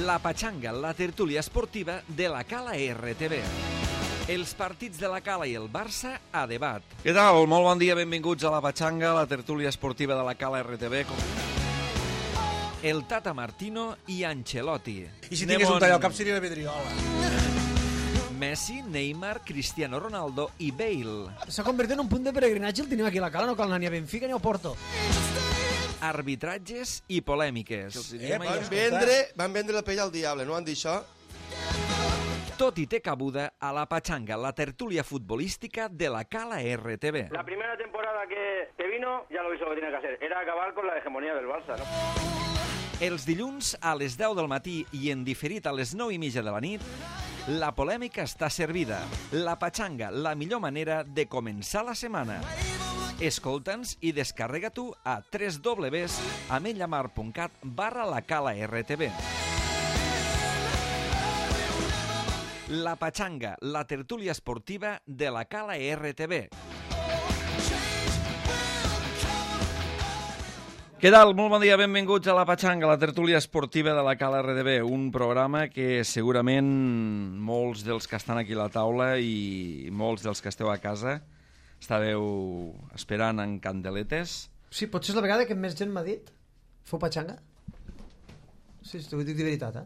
La Patxanga, la tertúlia esportiva de la Cala RTV. Els partits de la Cala i el Barça a debat. Què tal? Molt bon dia, benvinguts a la Patxanga, la tertúlia esportiva de la Cala RTV. El Tata Martino i Ancelotti. I si tingués un tall al cap seria la vidriola. Messi, Neymar, Cristiano Ronaldo i Bale. S'ha convertit en un punt de peregrinatge, el tenim aquí a la Cala, no cal anar ni a Benfica ni a Porto. Arbitratges i polèmiques. Van vendre la pell al diable, no han dit això? Tot i té cabuda a la Patxanga, la tertúlia futbolística de la Cala RTV. La primera temporada que vino, ya lo hizo lo que tenía que hacer, era acabar con la hegemonía del Barça, ¿no? Els dilluns a les 10 del matí i en diferit a les 9:30 de la nit, la polèmica està servida. La Patxanga, la millor manera de començar la setmana. Escolta'ns i descarrega-t'ho a www.ametlamar.cat/lacala-rtv. La Patxanga, la tertúlia esportiva de la Cala RTV. Què tal? Molt bon dia, benvinguts a la Patxanga, la tertúlia esportiva de la Cala RTV, un programa que segurament molts dels que estan aquí a la taula i molts dels que esteu a casa estàveu esperant en candeletes. Sí, potser és la vegada que més gent m'ha dit fou Patxanga. Sí, t'ho dic de veritat, eh?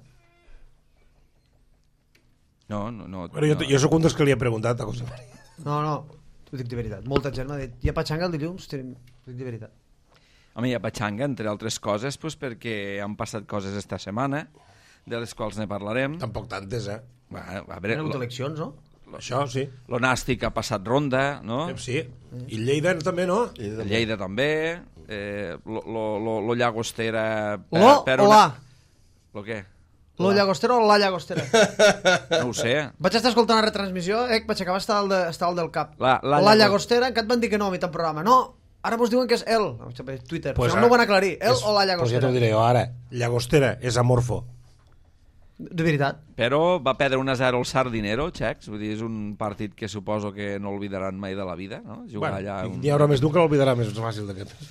No. Bueno, jo sóc un dels que li he preguntat a José María. No, t'ho dic de veritat. Molta gent m'ha dit, hi ha Patxanga el dilluns? T'ho dic de veritat. Home, hi ha Patxanga, entre altres coses, doncs perquè han passat coses esta setmana, de les quals ne parlarem. Tampoc tantes, eh? A veure, Hi ha hagut eleccions, no? Això, sí. L'Onàstic ha passat ronda, no? Sí. I Lleida també, no? Lleida també. Lo Llagostera... Lo o la? Lo què? Lo Llagostera o la Llagostera? No ho sé. Vaig estar escoltant la retransmissió, vaig acabar estar al del cap. La Llagostera, encara et van dir que no a mitjan programa. No, ara vos diuen que és el. Twitter, pues no ho van aclarir. El o la Pues ja Llagostera. t'ho diré jo ara. Llagostera és amorfo. De veritat. Però va perdre 1-0 el Sardinero, Xecs. Vull dir, és un partit que suposo que no oblidaran mai de la vida, no? Jugar allà... N'hi haurà més d'un que l'oblidarà més fàcil d'aquest temps.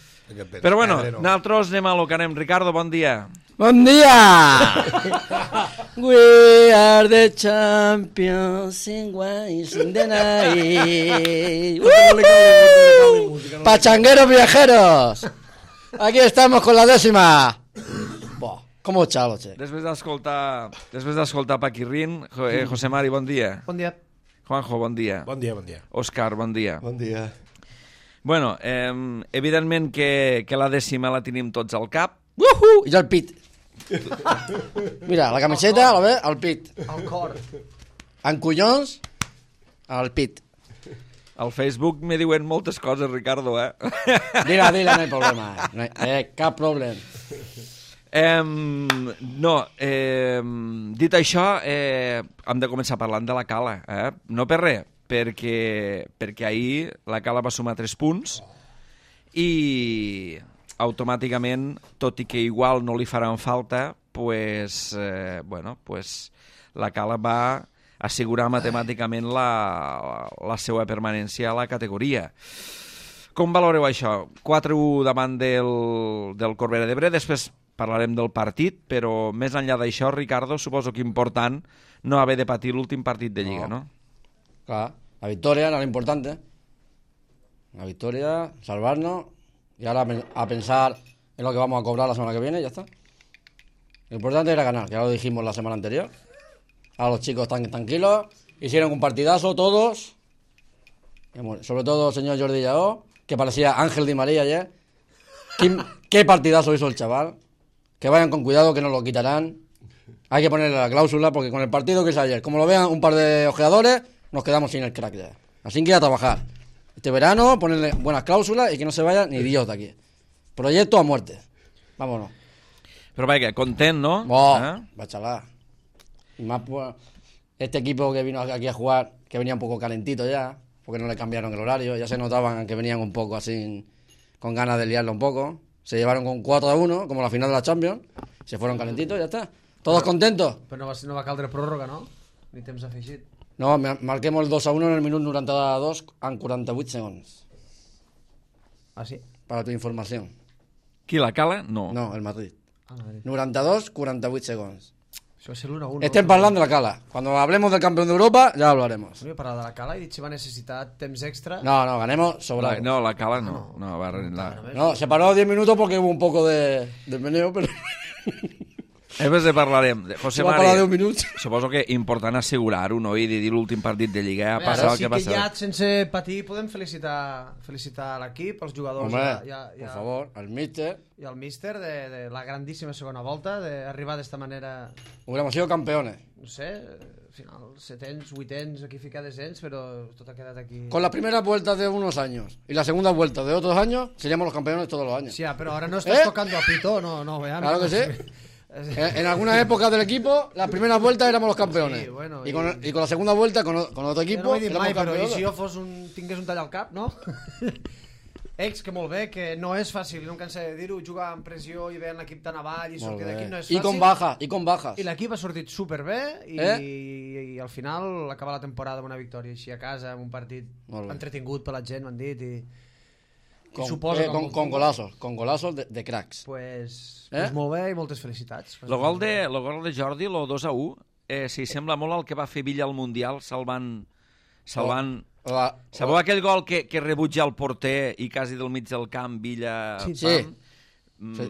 Però bueno, nosaltres anem a lo que anem. Ricardo, bon dia. Bon dia! We are the champions in ways in the night. Pachangueros viajeros. Aquí estamos con la 10ª. Buah, ¿cómo chalo, che? Després d'escoltar Paquirrín, José Mari, bon dia. Bon dia. Juanjo, bon dia. Bon dia. Òscar, bon dia. Bon dia. Bueno, evidentment que la 10ª la tenim tots al cap. I jo el pit. Mira, la camiseta, la ve, al pit. El cor. En collons, al pit. Al Facebook me diuen moltes coses, Ricardo, eh? Dila, no hay problema. No hay, cap problema. Dit això, hem de començar parlant de la Cala, no per res, perquè ahir la Cala va sumar 3 punts i automàticament, tot i que igual no li faran falta, la Cala va assegurar matemàticament la seva permanència a la categoria. Com valoreu això? 4-1 davant del Corbera d'Ebre, després parlarem del partit, però més enllà d'això, Ricardo, suposo que important no haver de patir l'últim partit de Lliga, no? Claro, la victoria era lo importante. La victoria, salvarnos y ahora a pensar en lo que vamos a cobrar la semana que viene y ya está. Lo importante era ganar, que ya lo dijimos la semana anterior. Ahora los chicos están tranquilos, hicieron un partidazo todos, sobre todo el señor Jordi Lleó, que parecía Ángel Di María ayer. ¿Qué partidazo hizo el chaval? Que vayan con cuidado, que nos lo quitarán. Hay que ponerle la cláusula, porque con el partido que hizo ayer, como lo vean un par de ojeadores, nos quedamos sin el crack ya. Así que a trabajar. Este verano, ponerle buenas cláusulas y que no se vaya ni Dios de aquí. Proyecto a muerte. Vámonos. Pero vaya, content, ¿no? Bachalá. Y más pues, este equipo que vino aquí a jugar, que venía un poco calentito ya, porque no le cambiaron el horario, ya se notaban que venían un poco así, con ganas de liarlo un poco. Se llevaron con 4-1, como la final de la Champions, se fueron calentitos y ya está. ¿Todos contentos? Però no va caldre pròrroga, no? Ni temps afegit. No, marquemos el 2-1 en el minuto 92 en 48 segundos. Ah, sí? Para tu información. Qui, la Cala? No. No, el Madrid. Ah, Madrid. 92, 48 segons. Això va ser l'1-1. Estem parlant de la Cala. Cuando hablemos del campeón de Europa, ya hablaremos. No he parlat de la Cala i he dit si va necessitar temps extra. No, ganemos sobrado. No, la Cala no. No, se paró 10 minutos porque hubo un poco de meneo, pero Després parlarem. José se va parar 10 Mari, minuts. suposo que important assegurar-ho, no? I dir l'últim partit de Lliga, passar el que sí que ja, passa. sense patir, podem felicitar l'equip, els jugadors Hombre, por favor, al míster. i al míster de la grandíssima segona volta, d'arribar d'esta manera, Hubiéramos sido campeones. no sé, al final, setens, vuitens, aquí fica descens, però tot ha quedat aquí. Con la primera vuelta de unos años y la segunda vuelta de otros años, seríamos los campeones todos los años. Sí, però ara no estàs tocando a pito, no, veamos. Claro que sí. En algunas épocas del equipo, la primera vuelta éramos los campeones. Sí, bueno, y con la segunda vuelta, con otro Jo equipo, no ho he dit éramos mai, però i campeones. si jo tingués un tall al cap, no? Que molt bé, que no és fàcil, no em cansa de dir-ho, jugar amb pressió i veure l'equip tan avall i sortir d'aquí no és fàcil. Y con bajas. I l'equip ha sortit superbé i al final acaba la temporada amb una victòria així a casa, amb un partit entretingut per la gent, m'han dit, i Con golazos de cracks. pues molt bé i moltes felicitats. El gol de Jordi, el 2-1, sí, sembla molt el que va fer Villa al Mundial, salvant... Sabeu aquell gol que rebutja el porter i quasi del mig del camp, Villa... Sí.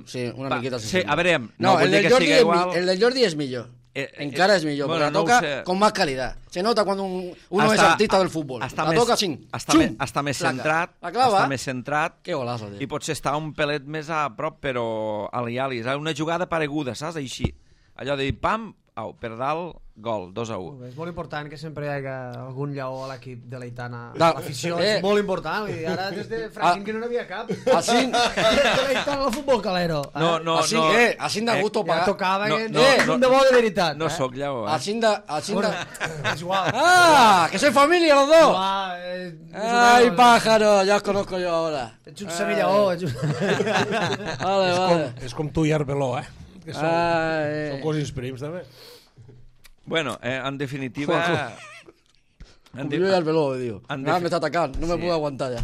Sí, una miqueta sí, a veure, no, el vull dir del que siga igual... Jordi es millor. Encara es millor, bueno, porque la no toca ho sé. con más calidad. Se nota cuando uno es artista del fútbol. La toca así. Està més centrat, La clava. està més centrat, Qué golazo, i tío. potser està un pelet més a prop, però ali-ali. És una jugada pareguda, saps? Així. Allò de dir, pam, per dalt, gol, 2-1. És molt important que sempre hi hagi algun lleó a l'equip de l'Aitana. No, L'afició és molt important. I ara des de Franklin que no n'havia cap. Así, De l'Aitana al futbol calero. No, así da gusto Ja pagar. tocava no, que... no, un de bo de veritat. No sóc lleó, Así da. Bueno, és igual. ¡Ah! ¡Que soy familia los dos! ¡Ay, pájaro! pájaro! Ya os conozco yo ahora. Ets un semillaó. Vale. És com tu i Arbeló, que són cosins prims, també. Bueno, en definitiva... Yo ya el velo, tío. En Nada, me está atacando. No me sí. puedo aguantar ya.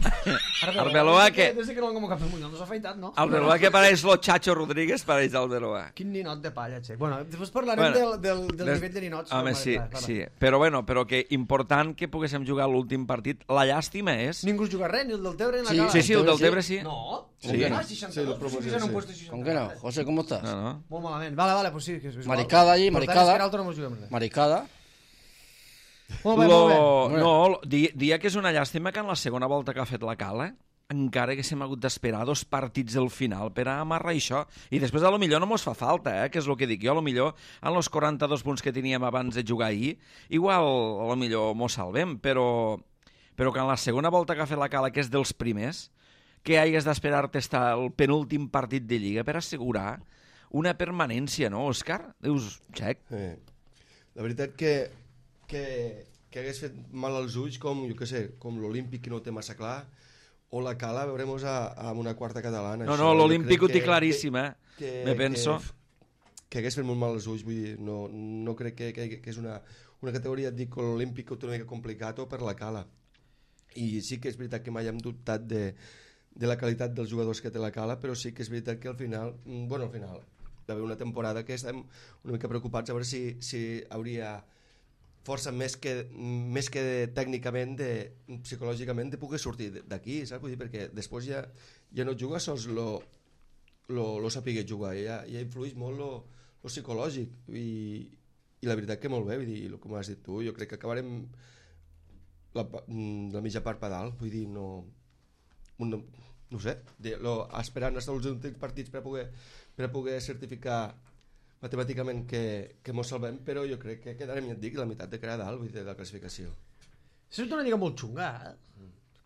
Arbeloa que... Des que no l'han convocat pel Mundial, no s'ha afeitat, no? Arbeloa que pareix lo Chacho Rodríguez, pareix Arbeloa. Quin ninot de palla, Xec. Bueno, després parlarem del nivell de ninots. Home, sí. Però que important que poguéssim jugar l'últim partit. La llàstima és... Ningú juga res, ni el del Tebre ni la Sí, Cala. Sí, el del Tebre sí. No? Sí. Ah, 62. Sí, en un puesto 64. ¿Con qué no? José, ¿cómo estás? No. Molt malament. Vale, pues sí. Que és igual. Mariscada allí, Per tant, mariscada. és que l'altre no mos juguem res. Mariscada. Molt bé. No, dia que és una llàstima que en la segona volta que ha fet la Cala encara que s'hem hagut d'esperar 2 partits al final per a amarrar això. I després a lo millor no mos fa falta, que és el que dic jo. A lo millor en els 42 punts que teníem abans de jugar ahir, igual a lo millor mos salvem, però que en la segona volta que ha fet la Cala, que és dels primers, que hagués d'esperar-te estar el penúltim partit de Lliga per assegurar una permanència, no, Òscar? Dius, Xec? La veritat que hagués fet mal als ulls com, jo què sé, com l'Olímpic que no ho té massa clar, o la Cala, veurem-nos amb una quarta catalana. No, l'Olímpic ho té claríssim, me penso. Que hagués fet molt mal als ulls, vull dir, no crec que és una categoria, et dic, l'Olímpic ho té una mica complicat o per la Cala. I sí que és veritat que mai hem dubtat de la qualitat dels jugadors que té la Cala, però sí que és veritat que al final va haver una temporada que estem una mica preocupats a veure si hauria força més que tècnicament, psicològicament, de poder sortir d'aquí, saps? Vull dir, perquè després ja no juga sols lo saber jugar, ja influeix molt lo psicològic, i la veritat que molt bé, vull dir, com has dit tu, jo crec que acabarem la mitja part per dalt, vull dir, no sé, esperant fins als últims partits per a poder certificar matemàticament que mos salvem, però jo crec que quedarem, ja et dic, la meitat de crear dalt, vull dir, de la classificació. És una lliga molt xunga,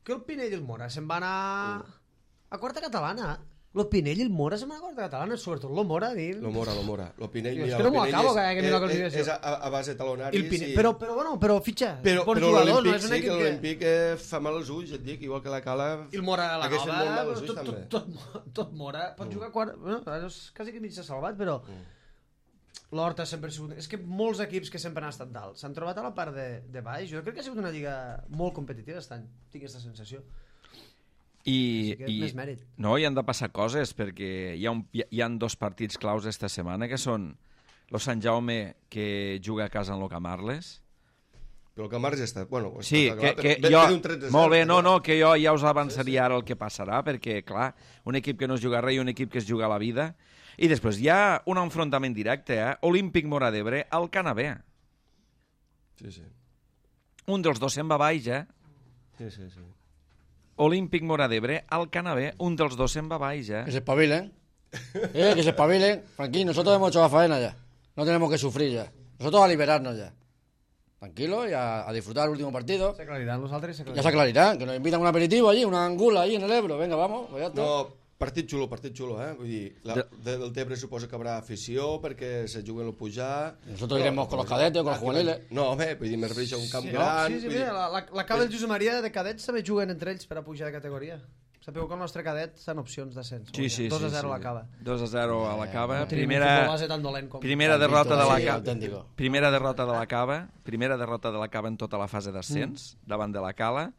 que el Pinell i el Mora se'n van a quarta catalana. El Pinell i el Mora se'n van a quarta catalana, sobretot el Mora, dic. Lo Mora. Lo Pinell, és que no m'ho acabo, és a base de talonaris. Però fitxa, però jugadors, no és un sí, que equip l'Olímpic fa mal als ulls, et dic, igual que la Cala. I el Mora a la hagués fet molt mal Nova, als ulls, també. tot Mora, pot jugar a quart... Bueno, és quasi que mig s'ha salvat, però... L'Horta sempre ha sigut... És que molts equips que sempre han estat dalt s'han trobat a la part de baix. Jo crec que ha sigut una lliga molt competitiva aquest any. Tinc aquesta sensació. I més mèrit. No, hi han de passar coses, perquè hi ha 2 partits claus esta setmana que són Lo Sant Jaume, que juga a casa en lo Camarles. Però el Camarles ja està... Bueno, Sí, està que ve jo... d'un 3-0, Molt bé, no, però- no, que jo ja us avançaria ara el que passarà, perquè, clar, un equip que no es juga res i un equip que es juga la vida. I després hi ha un enfrontament directe, Olímpic Móra d'Ebre al Canabé. Sí, sí. Un dels dos se'n va baix, Sí, sí, sí. Olímpic Móra d'Ebre al Canabé, un dels dos se'n va baix, Que se espabilen. Que se espabilen. Tranquilo, nosotros hemos hecho la faena ya. No tenemos que sufrir ya. Nosotros a liberarnos ya. Tranquilo y a disfrutar el último partido. S'aclariran nosaltres, Ya se aclarirá. Que nos invitan a un aperitivo allí, una angula allí en el Ebro. Venga, vamos. Pues ya está. No, partit xulo, Vull dir, del Tebre suposo que haurà afició perquè se juguen el pujar... Nosotros iremos con los cadetes o con los juveniles. No, home, vull dir, me refereixo a un camp Sí, gran... sí, vull dir- mira, la cava del Josep Maria de cadets també juguen entre ells per a pujar de categoria. Sapeu que el nostre cadet estan opcions d'ascens. Sí, sí, 2-0 sí. a la cava. 2-0 a la cava. No tenim un futbol Primera, base tan dolent com... primera derrota de la Sí, cava. auténtico. Primera derrota de la cava. Primera derrota de la cava en tota la fase d'ascens, davant de la cala.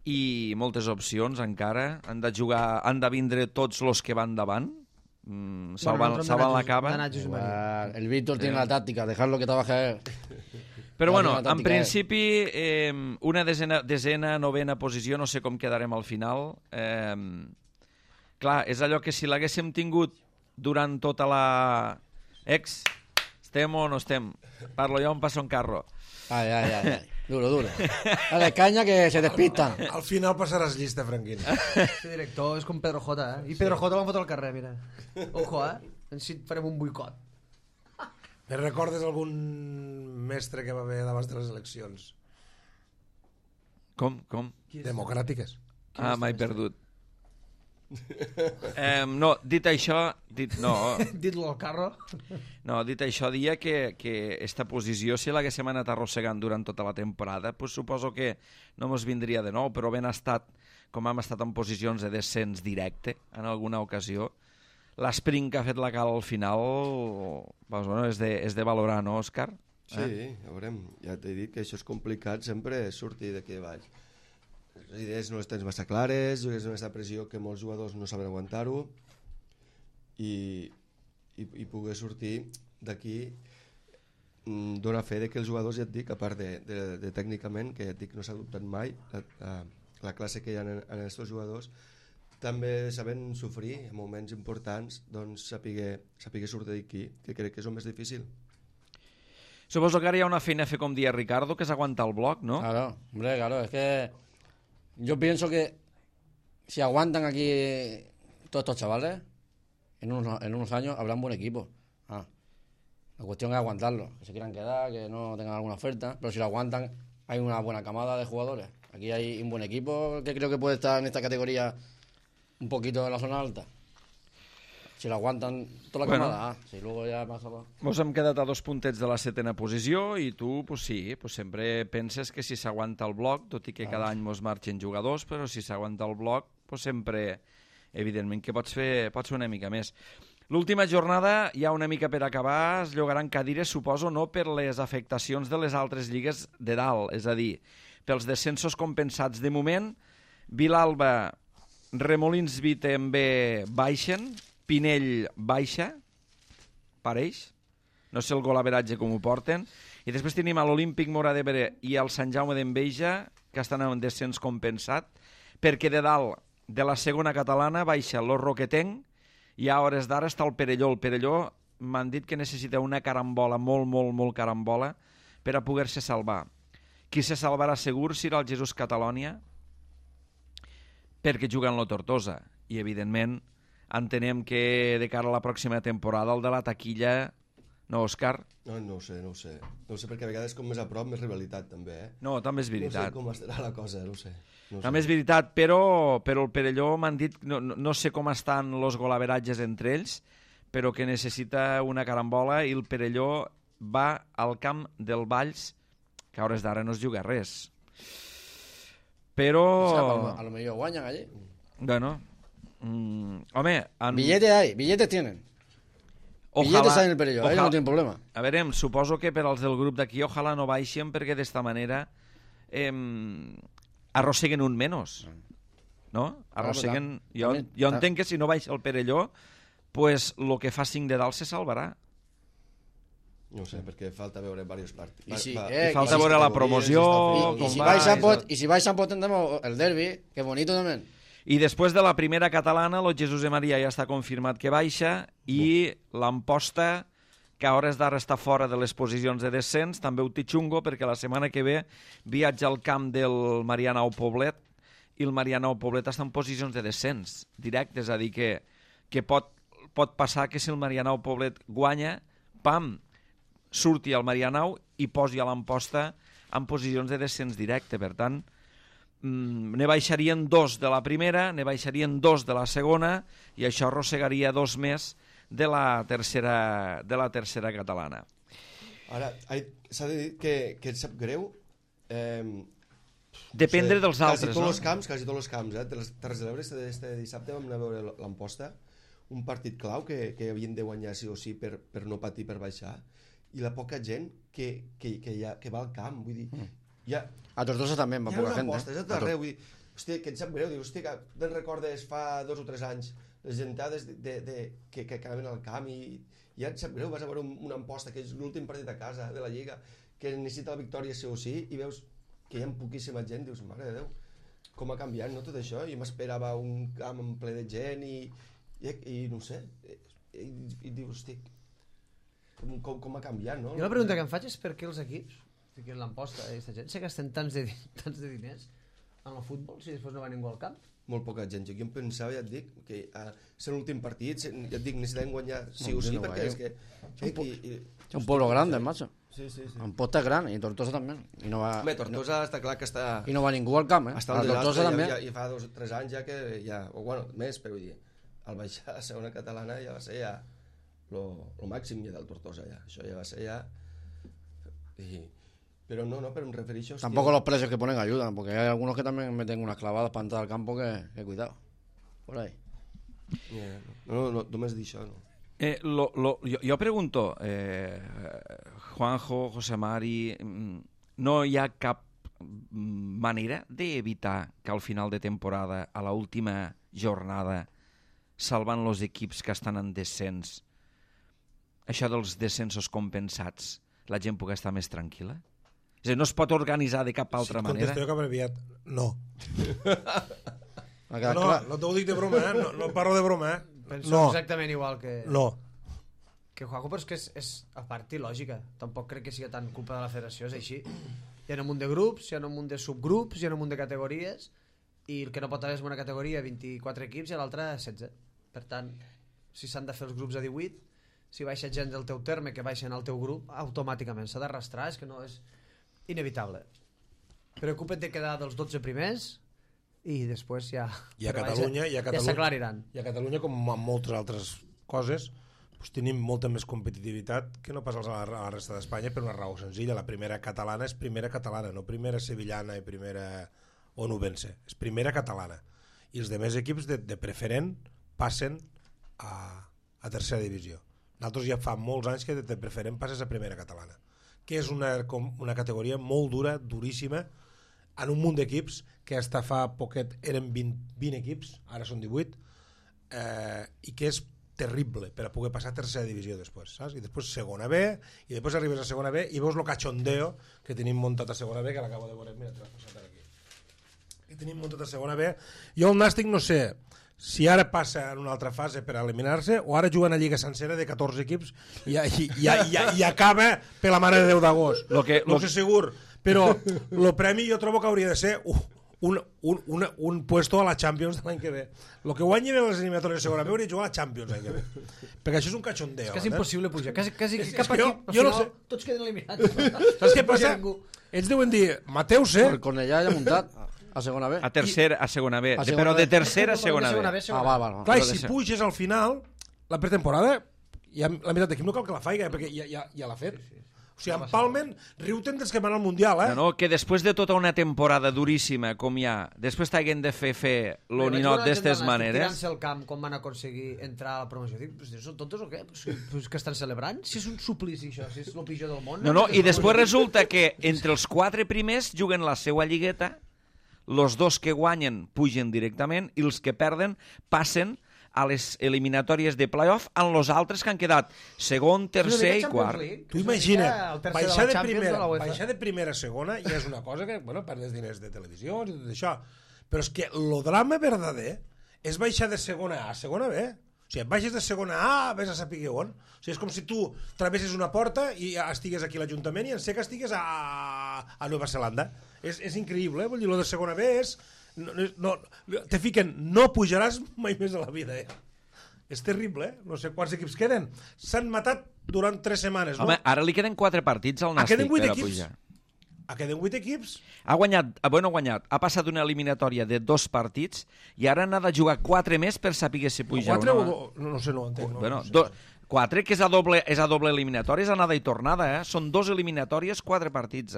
I moltes opcions encara. Han de vindre tots els que van davant. Salvant la cava. El Víctor tiene la táctica, dejarlo que trabaje él. Però bueno, La en tàctica principi, una desena, novena posició, no sé com quedarem al final. Clar, és allò que si l'haguéssim tingut durant tota la... Estem o no estem? Parlo jo, em passo en carro. Ay, ay, ay, ay. Duro, duro. Dale caña que se despistan. Al final passaràs llista, Franquín. Este director és com Pedro J, I Pedro J l'han fotut al carrer, mira. Ojo, Així farem un boicot. Me recordes algun mestre que va haver d'abans de les eleccions? Com? Democràtiques. Ah, m'he perdut. No, dit això... No, Dit-lo al carro. no, dit això, dia que esta posició, si l'haguéssim anat arrossegant durant tota la temporada, pues suposo que no mos vindria de nou, però ben estat, com hem estat en posicions de descens directe en alguna ocasió, l'esprint que ha fet la Cala al final doncs, bueno, és de valorar, no, Òscar? Sí, ja veurem. Ja t'he dit que això és complicat sempre sortir d'aquí baix. Les idees no les tens massa clares, jugues amb aquesta pressió que molts jugadors no saben aguantar-ho i poder sortir d'aquí dona fe de que els jugadors, ja et dic, a part de tècnicament, que ja et dic no s'ha dubtat mai, la classe que hi ha en aquests jugadors, també saben sofrir en moments importants, doncs saber sortir d'aquí, que crec que és el més difícil. Suposo que ara hi ha una feina a fer, com dia Ricardo, que és aguantar el bloc, no? Claro, hombre, claro. Es que yo pienso que si aguantan aquí todos estos chavales, en unos años habrá un buen equipo. La cuestión es aguantarlo, que se quieran quedar, que no tengan alguna oferta, pero si lo aguantan hay una buena camada de jugadores. Aquí hay un buen equipo que creo que puede estar en esta categoría un poquito en la zona alta. Si lo aguantan toda la camada, si luego ya pasa... Mos hem quedat a 2 puntets de la 7ª posició i tu, pues sí, pues sempre penses que si s'aguanta el bloc, tot i que cada any mos marxen jugadors, però si s'aguanta el bloc, pues sempre, evidentment, que pots fer una mica més. L'última jornada, ja una mica per acabar, es llogaran cadires, suposo, no per les afectacions de les altres lligues de dalt, és a dir, pels descensos compensats. De moment, Vilalba, Remolins B també baixen, Pinell baixa, pareix, no sé el golaveratge com ho porten, i després tenim a l'Olímpic Móra d'Ebre i al Sant Jaume d'Enveja, que estan en descens compensat, perquè de dalt, de la segona catalana, baixa el Roquetenc, i a hores d'ara està el Perelló. El Perelló m'han dit que necessita una carambola, molt carambola, per a poder-se salvar. Qui se salvarà segur serà el Jesús Catalònia, perquè juguen la Tortosa, i evidentment entenem que de cara a la pròxima temporada el de la taquilla, no, Òscar? No ho sé. No ho sé, perquè a vegades com més a prop, més rivalitat també, No, també és veritat. No sé com estarà la cosa, no ho sé. També és veritat, però el Perelló m'han dit, no sé com estan els golaveratges entre ells, però que necessita una carambola i el Perelló va al camp del Valls, que a hores d'ara no es juga res. Però... O sea, a lo mejor guañan allí. Bueno, home... Billetes hay, billetes tienen. Billetes hay en el Perelló, ahí no tienen problema. A veure, suposo que per als del grup d'aquí ojalà no baixen perquè d'esta manera arrosseguen un menys. No? Arrosseguen... Jo entenc que si no baixa el Perelló, pues el que fa 5 de dalt se salvarà. No sé, perquè falta veure diversos partits. I falta veure la promoció, Y si vais a pot tendremos el derbi, que bonito también. I després de la primera catalana, el Jesús de Maria ja està confirmat que baixa i l'Amposta, que a hores d'ara està fora de les posicions de descens, també ho té xungo perquè la setmana que ve viatja al camp del Marianao Poblet i el Marianao Poblet està en posicions de descens directe, és a dir, que pot passar que si el Marianao Poblet guanya, pam, surti al Marianao i posi a l'Amposta en posicions de descens directe. Per tant, ne baixarien 2 de la primera, ne baixarien 2 de la segona i això arrossegaria 2 més de la tercera catalana. Ara, s'ha de dir que et sap greu dependre dels altres, no? Quasi tots els camps, de les Terres de l'Ebre, este dissabte vam anar a veure l'Amposta, un partit clau que havien de guanyar sí o sí per no patir per baixar, i la poca gent que va al camp, vull dir, A Tortosa també va poca gent. Hi ha una arreu, vull dir, hòstia, que et sap greu, hòstia, que te'n recordes fa 2 o 3 anys les gentades que anaven al camp i ja et sap greu, vas a veure una Amposta que és l'últim partit a casa de la Lliga, que necessita la victòria sí o sí, i veus que hi ha poquíssima gent, dius, mare de Déu, com ha canviat, no, tot això? Jo m'esperava un camp en ple de gent i no sé, i dius, hosti, com ha canviat, no? Jo la pregunta que em faig és per què els equips, que l'Amposta, aquesta gent, se gasten tants de diners en el futbol si després no va ningú al camp? Molt poca gent. Jo em pensava, ja et dic, que ser l'últim partit, ja et dic, necessitem guanyar sí o sí, perquè és que... Es un pueblo grande, macho. Sí. Amposta es gran y Tortosa también. Y no va, Home, Tortosa està clar que està... Y no va ningú al camp, Està a al Tortosa desastre, també. i fa 2 o 3 anys ja que ja... O bueno, més, però vull dir, al baixar a segona catalana ja va ser ja lo màxim ja del Tortosa, ja. Això ja va ser ja... Pero no, pero me refereixo... Tampoco los precios que ponen ayudan, porque hay algunos que también meten unas clavadas para entrar al campo que cuidado. Por ahí. No, només dir això, no. Jo pregunto, Juanjo, José Mari, no hi ha cap manera d'evitar que al final de temporada, a la última jornada, salvant els equips que estan en descens, això dels descensos compensats, la gent pugui estar més tranquil·la? És a dir, no es pot organitzar de cap altra manera? Contesto jo cap aviat, no. No t'ho dic de broma, no parlo de broma, Penso exactament igual que... No. Que Juanjo, però és que és a part il·lògica. Tampoc crec que sigui tant culpa de la federació, és així. Hi ha un munt de grups, hi ha un munt de subgrups, hi ha un munt de categories, i el que no pot haver és una categoria 24 equips i l'altra 16. Per tant, si s'han de fer els grups a 18, si baixa gent del teu terme que baixen al teu grup, automàticament s'ha d'arrastrar, és que no és inevitable. Preocupa't de quedar dels 12 primers i després ja... I a Catalunya ja s'aclariran. I a Catalunya, com en moltes altres coses, doncs tenim molta més competitivitat que no pas a la resta d'Espanya per una raó senzilla. La primera catalana és primera catalana, no primera sevillana i primera onubense. És primera catalana. I els demés equips de preferent passen a tercera divisió. Nosaltres ja fa molts anys que de preferent passes a primera catalana, que és una categoria molt dura, duríssima, en un munt d'equips que hasta fa poquet eren 20 equips, ara són 18, i que és terrible per a poder passar a tercera divisió després, saps? I després segona B, i després arribes a segona B i veus el cachondeo que tenim muntat a segona B, que l'acabo de veure, mira, te l'has passat aquí. Que tenim muntat a segona B. Jo el Nàstic no sé si ara passa en una altra fase per eliminar-se o ara juga una lliga sencera de 14 equips i acaba per la mare de Déu d'agost. No sé segur, però el premi jo trobo que hauria de ser un puesto a la Champions de l'any que ve. El que guanyin en les eliminatòries de segona B hauria de jugar a la Champions l'any que ve. Perquè això és un cachondeo. És quasi impossible pujar. Quasi cap equip, jo no sé. Tots queden eliminats. Saps què passa? Ells deuen dir, Mateu-se... El Cornellà ja muntat a segona B. A segona B. Però de tercera a segona B. Va. Clar, i si puges al final, la pretemporada, la meitat d'equip no cal que la faiga, perquè ja l'ha fet. O sigui, empalmen, riu-te'n dels que van al Mundial, No, que després de tota una temporada duríssima com hi ha, després t'haguen de fer lo ninot d'estes maneres... Tirant-se al camp com van aconseguir entrar a la promoció. Dic, són tontos o què? Pues que estan celebrant? Si és un suplici això, si és el pitjor del món... No, i després resulta que entre els 4 primers juguen la seva lligueta, els 2 que guanyen pugen directament i els que perden passen a les eliminatòries de playoff en els altres que han quedat segon, tercer i quart. Tu imagina, baixar de primera a segona ja és una cosa que, bueno, perdes diners de televisió i tot això, però és que el drama verdader és baixar de segona A a segona B. O sigui, baixes de segona A, vés a saber on. O sigui, és com si tu travesses una porta i estigues aquí a l'Ajuntament i en sé que estigues a Nova Zelanda. És increïble, vull dir, lo de segona B és... te fiquen, no pujaràs mai més a la vida, És terrible, No sé quants equips queden. S'han matat durant 3 setmanes, no? Home, ara li queden 4 partits al Nàstic per a pujar. Queden 8 equips? Ha guanyat. Ha passat una eliminatòria de 2 partits i ara n'ha de jugar 4 més per saber si puja 4 o no. No sé, no ho entenc. Bueno, 4, que és a doble eliminatòria, és anada i tornada, Són 2 eliminatòries, 4 partits,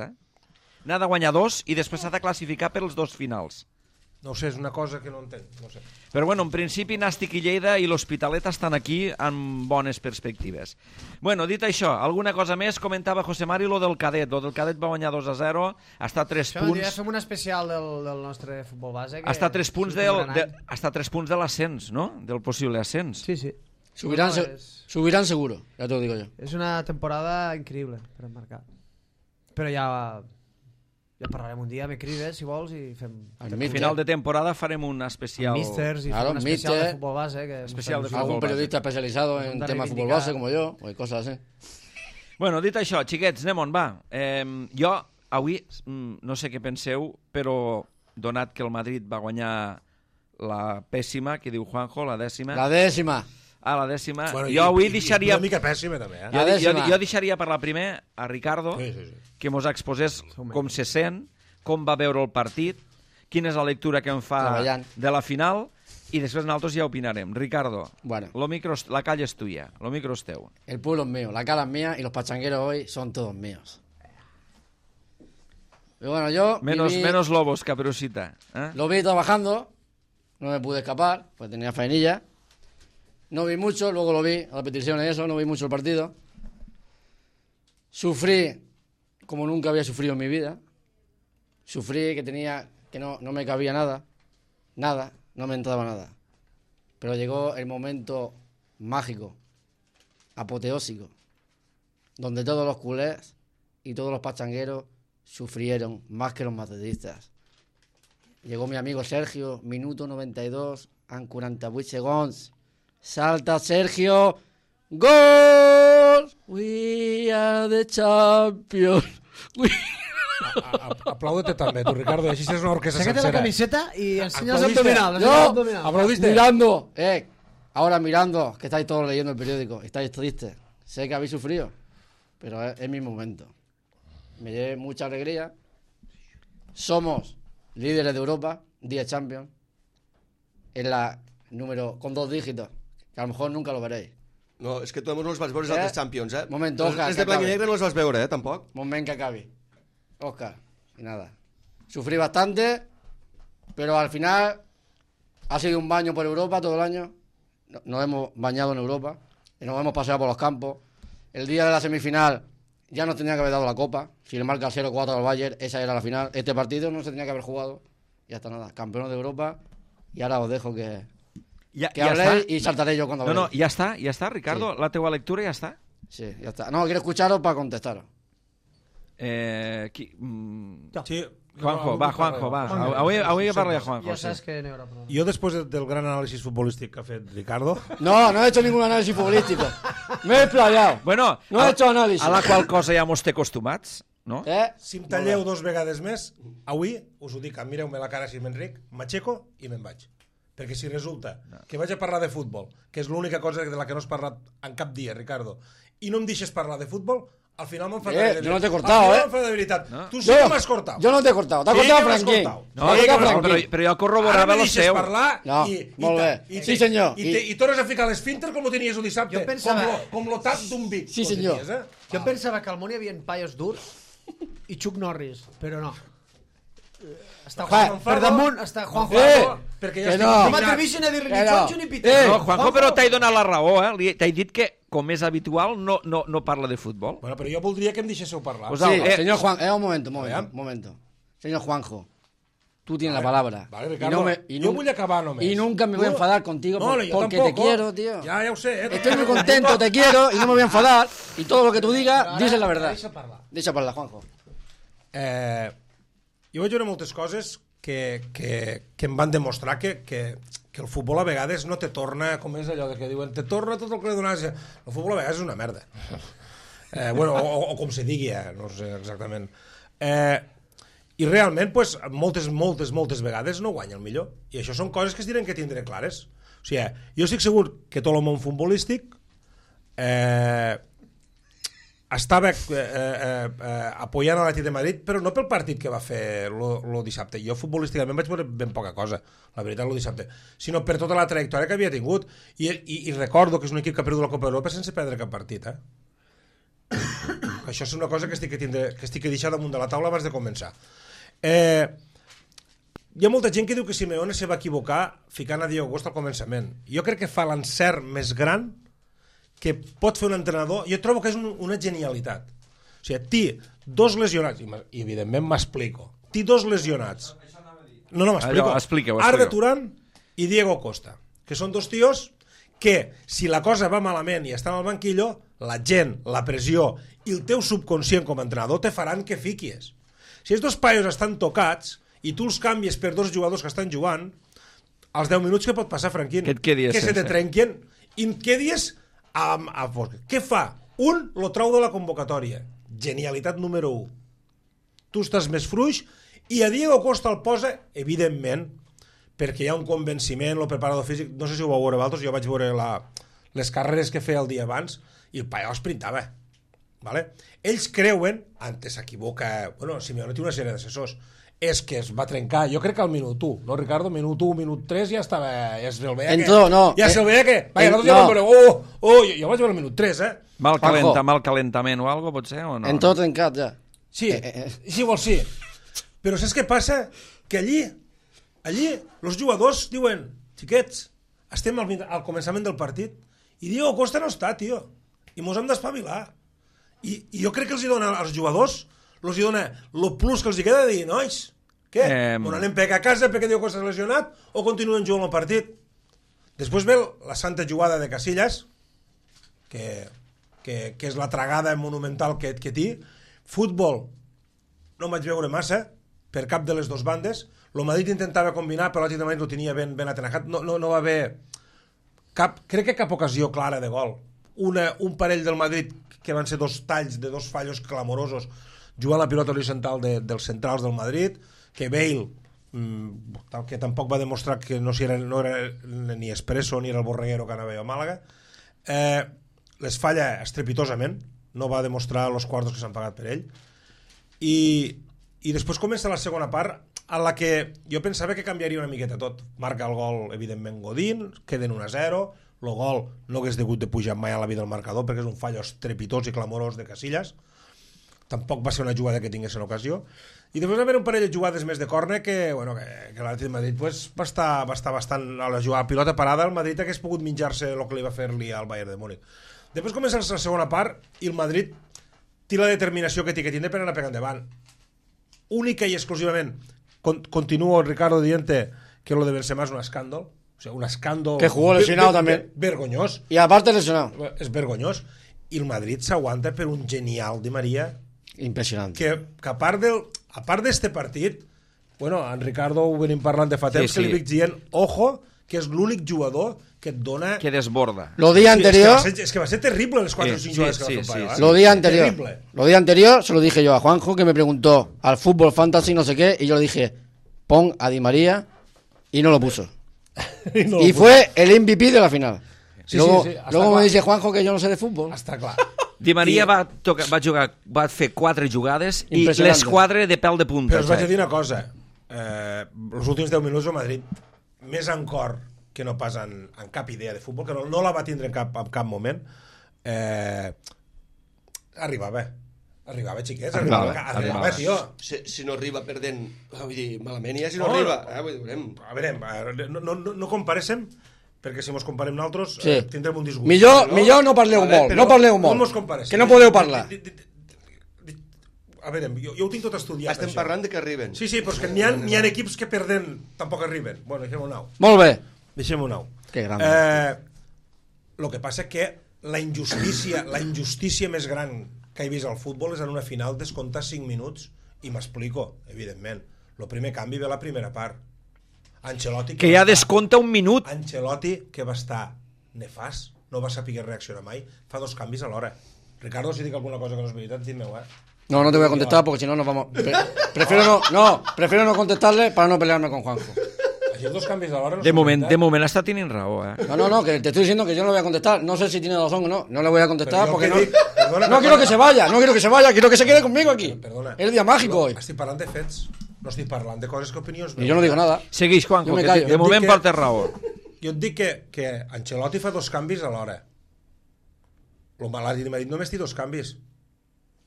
N'ha de guanyar 2 i després s'ha de classificar per els 2 finals. No ho sé, és una cosa que no entenc. No sé. Però bueno, en principi Nàstic i Lleida i l'Hospitalet estan aquí amb bones perspectives. Bueno, dit això, alguna cosa més? Comentava José Mari lo del Cadet. Lo del Cadet va guanyar 2-0, està a 3 punts. Ja fem un especial del nostre futbol base. Està a 3 punts està a 3 punts de l'ascens, no? Del possible ascens. Sí, sí. Subirán seguro, ya te lo digo yo. És una temporada increïble per emmarcar. Però ja parlarem un dia, me crides si vols i fem... Al final de temporada farem un especial... Místers i fem un especial de futbol base. Algún periodista especializado en temas de fútbol base como yo, o cosas así. Bueno, dit això, xiquets, anem on va. Jo, avui, no sé què penseu, però donat que el Madrid va guanyar la pèssima, que diu Juanjo, la dècima... La dècima. La dècima. Bueno, jo avui deixaria... Una mica pèssima, també, Jo deixaria per la primer a Ricardo, que mos exposés com se sent, com va veure el partit, quina és la lectura que em fa de la final, i després nosaltres ja opinarem. Ricardo, la calle es tuya, lo micro es teu. El pueblo es mío, la cala es mía y los pachangueros hoy son todos míos. Y bueno, yo... Menos Lobos, Caperucita. Lo vi trabajando, no me pude escapar, pues tenía faenilla. No vi mucho, luego lo vi, a la petición y eso, no vi mucho el partido. Sufrí como nunca había sufrido en mi vida. Sufrí que no me cabía nada, no me entraba nada. Pero llegó el momento mágico, apoteósico, donde todos los culés y todos los pachangueros sufrieron más que los madridistas. Llegó mi amigo Sergio, minuto 92, en 48 segons. Salta Sergio, gol! We are the champions. Aplaude-te també, tu, Ricardo, així és una orquestra sencera. Sácate la camiseta y enseña los abdominales. Aplaudiste. Mirando, ahora mirando, que estáis todos leyendo el periódico, estáis tristes. Sé que habéis sufrido, pero es mi momento. Me llevé mucha alegría. Somos líderes de Europa, 10 Champions. Es la número con 2 dígitos, que a lo mejor nunca lo veréis. No, és que tu no els vas veure els altres Champions, Momento, Oscar. Els de blanc i negre no els vas veure, tampoc. Moment que acabi. Oscar, y nada. Sufrí bastante, pero al final ha sido un baño por Europa todo el año. Nos hemos bañado en Europa y nos hemos paseado por los campos. El día de la semifinal ya nos tenía que haber dado la copa. Si le marca 0-4 al Bayern, esa era la final. Este partido no se tenía que haber jugado. Y ya está, nada. Campeones de Europa. Y ahora os dejo que habléis y saltaré yo cuando habléis. No, ya está, Ricardo. Sí. La teua lectura ya está. Sí, ya está. No, quiero escucharos para contestaros. Sí, Juanjo, va. Avui parla de Juanjo. Ja saps que n'hi haurà problema. Jo, després del gran anàlisi futbolístic que ha fet Ricardo... No he hecho ningún análisis futbolístico. Me he explayado. Bueno, no he hecho análisis. A la qual cosa ja mos té acostumats, no? Si em talleu 2 vegades més, avui, us ho dic, mireu-me la cara si m'enric, m'aixeco i me'n vaig. Perquè si resulta que vaig a parlar de futbol, que és l'única cosa de la que no has parlat en cap dia, Ricardo, i no em deixes parlar de futbol, al final m'enfada de veritat. Yo no te he cortado, de veritat. No. Tu sí que m'has cortado. Yo no te he cortado. T'ha cortado Franquín. Però jo corroborava lo seu. Parlar molt bé. Sí, senyor. I tornes a ficar l'esfínter com ho tenies el dissabte. Com lo tap d'un Vic. Sí, senyor. Jo pensava que al món hi havia paios durs i Chuck Norris, però no. Està per damunt, està Juanjo. Perquè ja no m'atreveixen a dir-li ni Juanjo ni Peter. No, Juanjo, però t'he donat la raó, T'he dit que, com és habitual, no parla de futbol. Bueno, però jo voldria que em deixéssiu parlar. Sí, senyor Juan, un momento. Señor Juanjo, tú tienes la palabra. Vale, Ricardo, yo voy a acabar nomás. Y nunca me voy a enfadar contigo porque te quiero, tío. Ya lo sé. Estoy muy contento, te quiero y no me voy a enfadar. Y todo lo que tú digas, dices la verdad. Deixa parlar, Juanjo. Jo vaig veure moltes coses que em van demostrar que el futbol a vegades no te torna, com és allò que diuen, te torna tot el que li donaves. El futbol a vegades és una merda. Bueno, o com se digui, no sé exactament. I realment, pues, moltes vegades no guanya el millor. I això són coses que es diran que tindré clares. O sigui, jo estic segur que tot el món futbolístic estava apoyant a l'Atlètic de Madrid, però no pel partit que va fer el dissabte. Jo futbolísticament vaig veure ben poca cosa, la veritat, el dissabte, sinó per tota la trajectòria que havia tingut. I recordo que és un equip que ha perdut la Copa d'Europa sense perdre cap partit. Això és una cosa que estic a deixar damunt de la taula abans de començar. Hi ha molta gent que diu que Simeone se va equivocar ficant a Diego Costa al començament. Jo crec que fa l'encert més gran que pot fer un entrenador. Jo trobo que és una genialitat. O sigui, té dos lesionats, i evidentment m'explico, té dos lesionats. No, m'explico. Arda Turan i Diego Costa, que són dos tios que, si la cosa va malament i estan al banquillo, la gent, la pressió i el teu subconscient com a entrenador te faran que fiquis. Si els dos paios estan tocats i tu els canvies per dos jugadors que estan jugant, als 10 minuts què pot passar, Franquín? Que se te trenquin i quedies a fosc. Què fa? Un lo trau de la convocatòria. Genialitat número 1. Tu estàs més fluix i a Diego Costa el posa, evidentment, perquè hi ha un convenciment, el preparador físic, no sé si ho vau veure vosaltres, jo vaig veure les carreres que feia el dia abans i el paio esprintava. Vale? Ells creuen, antes s'equivoca, bueno, Simeone té una sèrie d'assessors, és que es va trencar, jo crec que al minut 1, no, Ricardo? Minut 1, minut 3 ja estava, ja se'l veia que... Ja se'l veia que... Nosaltres ja vam veure, jo vaig veure el minut 3, Mal calentament o algo, potser, o no? En tot trencat, ja. Sí, sí, vol sí. Però saps què passa? Que allí, els jugadors diuen, xiquets, estem al començament del partit i Diego Costa no està, tio, i mos hem d'espavilar. I jo crec que els dona als jugadors, els dona el plus que els queda de dir, nois, què? On anem a casa perquè Diego Costa s'ha lesionat o continuen jugant el partit? Després ve la santa jugada de Casillas, que és la tragada monumental que té. Futbol no vaig veure massa per cap de les dues bandes. El Madrid intentava combinar, però l'Atlètic de Madrid ho tenia ben atenajat. No va haver crec que cap ocasió clara de gol. Un parell del Madrid que van ser dos talls de dos fallos clamorosos jugant la pilota horitzontal dels centrals del Madrid, que Bale, que tampoc va demostrar que no era ni Espresso ni era el Borreguero que anava a Màlaga, les falla estrepitosament, no va demostrar els quartos que s'han pagat per ell, i després comença la segona part en la que jo pensava que canviaria una miqueta tot. Marca el gol, evidentment, Godín, queden 1-0, el gol no hagués degut de pujar mai a la vida del marcador perquè és un fallo estrepitós i clamorós de Casillas, tampoc va ser una jugada que tingués en ocasió, i després va haver un parell de jugades més de córner que l'Atlètic de Madrid va estar bastant a la jugada pilota parada. El Madrid hagués pogut menjar-se el que li va fer-li al Bayern de Múnich. Després comença la segona part i el Madrid té la determinació que té que tindre per anar pegant endavant, única i exclusivament. Continuo, Ricardo, dient que lo de Benzema és un escàndol. O sea, un escàndol... Que jugó lesionado también. Vergonyós. Y aparte lesionado. És vergonyós. I el Madrid s'aguanta per un genial Di María. Impressionant. Que a part d'este partit, bueno, en Ricardo ho venim parlant de fa temps, que li dic dient, ojo, que és l'únic jugador que et dona... Que desborda. Lo día anterior... Es que va ser terrible les 4 o 5 jugades que va fer el paio. Lo día anterior. Lo día anterior se lo dije yo a Juanjo, que me preguntó al fútbol fantasy no sé qué, y yo le dije, pon a Di María, y no lo puso. Y fue el MVP de la final. Luego me dice Juanjo que yo no sé de fútbol. Està clar. Di Maria va fer 4 jugades i les 4 de pèl de punta. Però us vaig dir una cosa, els últims 10 minuts el Madrid, més en cor que no pas en cap idea de futbol, que no la va tindre en cap moment, arribava, xiquets, arribava, tio. Si no arriba perdent, vull dir, malament ja si no arriba. A veure, no comparéssim, perquè si mos comparem nosaltres tindrem un disgust. Millor no parleu molt, no parleu molt, que no podeu parlar. a veure, jo ho tinc tot estudiat. Estem això. parlant de que arriben. Sí, però és que n'hi ha equips que perden, tampoc arriben. Bueno, deixem-ho nou. Molt bé. Deixem-ho nou. Que gran. Lo que passa que la injustícia més gran que he vist al futbol és en una final descomptar 5 minuts, i m'explico, evidentment. El primer canvi ve a la primera part. Ancelotti... Que ja descompta un minut. Ancelotti, que va estar nefast, no va saber reaccionar mai, fa 2 canvis a l'hora. Ricardo, si dic alguna cosa que no és veritat, dime-ho, No, no te voy a contestar porque si no nos vamos... Prefiero no contestarle para no pelearme con Juanjo. Així 2 canvis a l'hora no De són moment veritat. està tenint raó, No, que te estoy diciendo que yo no le voy a contestar. No sé si tiene razón o no. No le voy a contestar Pero yo porque que no... dic- perdona, No quiero que se vaya, quiero que se quede conmigo aquí. Perdona. Es el día mágico hoy. Estic parlant de fets, no estic parlant de coses que opinions... Y yo no digo nada. Segueix, Juanjo, Jo me que callo. de moment que- portes raó. Jo et dic que Ancelotti fa 2 canvis a l'hora. L'Atlètic de Madrid només té 2 canvis.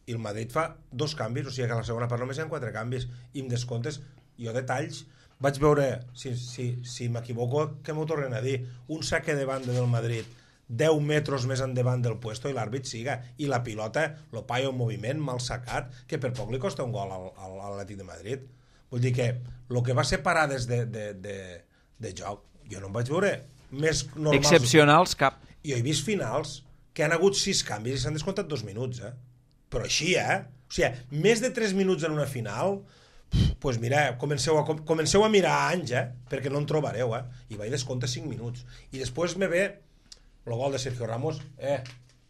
I el Madrid fa 2 canvis, o sigui que a la segona part només hi ha 4 canvis. I em descomptes, jo detalls, vaig veure, si m'equivoco, que m'ho tornen a dir, un saque de banda del Madrid 10 metres més endavant del puesto i l'àrbit siga, i la pilota lo paia un moviment mal sacat que per poc li costa un gol a l'Atlètic de Madrid. Vull dir que el que va ser parades de joc, jo no em vaig veure més normals. Excepcionals, cap. Jo he vist finals que han hagut 6 canvis i s'han descomptat 2 minuts, però així, o sigui, més de 3 minuts en una final, pues mira, comenceu a mirar anys, perquè no en trobareu, i vaig descompte 5 minuts. I després me ve el gol de Sergio Ramos,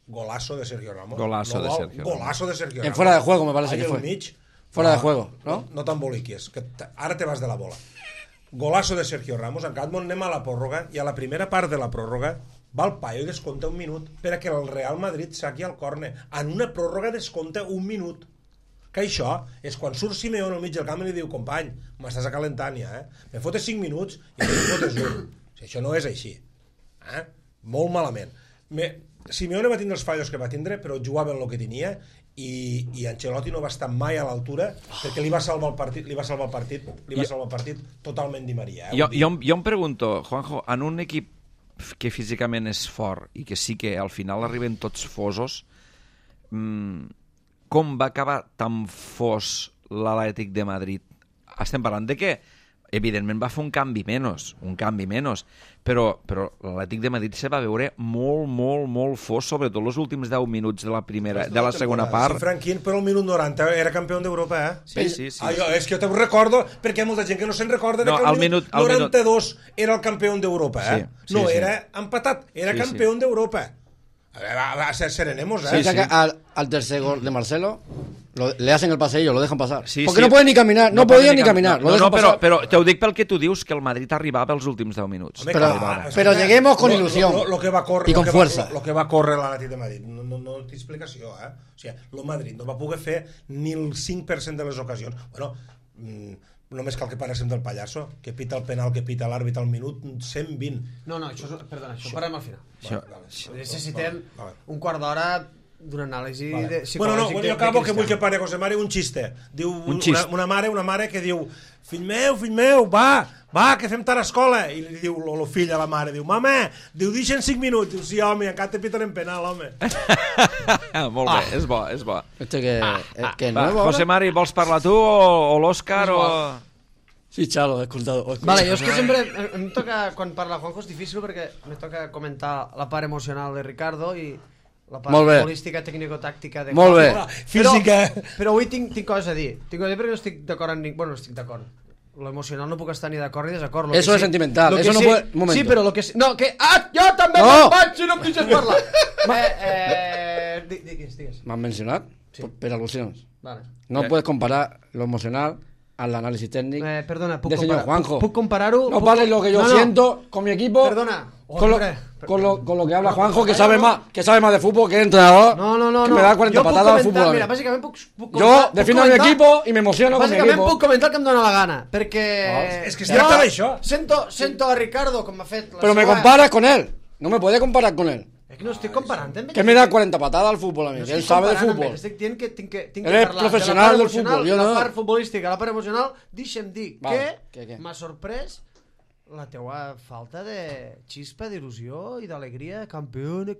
golazo de Sergio Ramos. Golazo de Sergio Ramos. Golazo de Sergio Ramos. En fuera de juego, me parece Ahí que al fue. mig. Fuera de juego, ¿no? No t'emboliquis, que ara te vas de la bola. Golazo de Sergio Ramos, en Catmon anem a la pròrroga, i a la primera part de la pròrroga va el paio i descompta 1 minut perquè el Real Madrid saqui al córner. En una pròrroga descompta 1 minut. Que això és quan surt Simeone al mig del camp i li diu, company, m'estàs acalentant ja, me fotes 5 minuts i no fotes 1. Si això no és així. Molt malament. Simeone va tindre els fallos que va tindre, però jugava en el que tenia, i Ancelotti no va estar mai a l'altura perquè li va salvar el partit totalment Di Maria. Jo em pregunto, Juanjo, en un equip que físicament és fort i que sí que al final arriben tots fosos, com va acabar tan fos l'Atlètic de Madrid? Estem parlant de que evidentment va fer un canvi menys, però l'Atlètic de Madrid se va veure molt fos, sobretot els últims 10 minuts de la segona part. Sí, Franquín, però el minut 90 era campió d'Europa, Sí. És que jo te'n recordo, perquè hi ha molta gent que no se'n recorda que el minut 92 era el campió d'Europa, no era empatat, era campió d'Europa. A ser serenemos, Sí. Que al tercer gol de Marcelo le hacen el paseillo, lo dejan pasar. Sí, porque no puede ni caminar, no podía ni caminar. Lo dejan pasar. Però te ho dic pel que tu dius, que el Madrid arribava als últims 10 minuts. Pero lleguemos con ilusión y con fuerza. Lo que va córrer l'Atlètic de Madrid no té explicació, O sigui, el Madrid no va poder fer ni el 5% de les ocasions. Bueno, només cal que paréssim del pallasso, que pita el penal, que pita l'àrbit al minut 120. No, això parlem al final. Vale. Necessitem un quart d'hora d'una anàlisi psicològica. Bueno, jo acabo que vull que pare José Mare un xiste. Diu una mare que diu, fill meu, va, que fem tard a escola. I li diu el fill a la mare, diu, mama, deixen 5 minuts. Diu, sí, home, encara te piten en penal, home. Molt bé, és bo. Que Va, nuevo José ahora. Mari, vols parlar tu o l'Òscar o... Sí, Chalo, he escoltado. Vale, jo és que sempre em toca, quan parla Juanjo és difícil perquè me toca comentar la part emocional de Ricardo i la part Molt bé. futbolística, tècnico-tàctica de Molt bé. Física. Però avui tinc coses a dir. Tinc coses a dir perquè no estic d'acord amb ningú. Bueno, no estic d'acord. Lo emocional no puc estar ni d'acord ni desacord. Lo Eso que es sentimental, lo que eso no sí, puede- un momento. Sí, però lo que sí... No, que... jo també No. me'n vaig si no em deixes parlar. Digues. ¿Me has mencionado? Pero alusiones. Vale. No puedes comparar lo emocional al análisis técnico Perdona, puc del señor comparar. Juanjo. Puc comparar-ho? No vale lo que yo siento con mi equipo. Perdona. Con lo, Hombre. con lo que habla Juanjo, que sabe más de fútbol que el entrenador. No. Que me da 40 Jo puc patadas al comentar, fútbol. Mira, bàsicament puc Yo defiendo a mi equipo y me emociono con mi Bàsicament equipo. puc comentar el que em dóna la gana, perquè... és que es tracta d'això. Sento a Ricardo, com m'ha fet... Pero me comparas con él. No me puede comparar con él. És que no estic comparant amb ell. Que me da 40 patadas al fútbol a mí. No Que él estic sabe de comparant amb fútbol. ell. Estic dient que tinc que Él es parlar professional de la part del emocional, fútbol, jo la no. part futbolística, la part emocional. Deixa'm dir Vale, que què? m'ha sorprès la teua falta de xispa, d'il·lusió i d'alegria. Campione,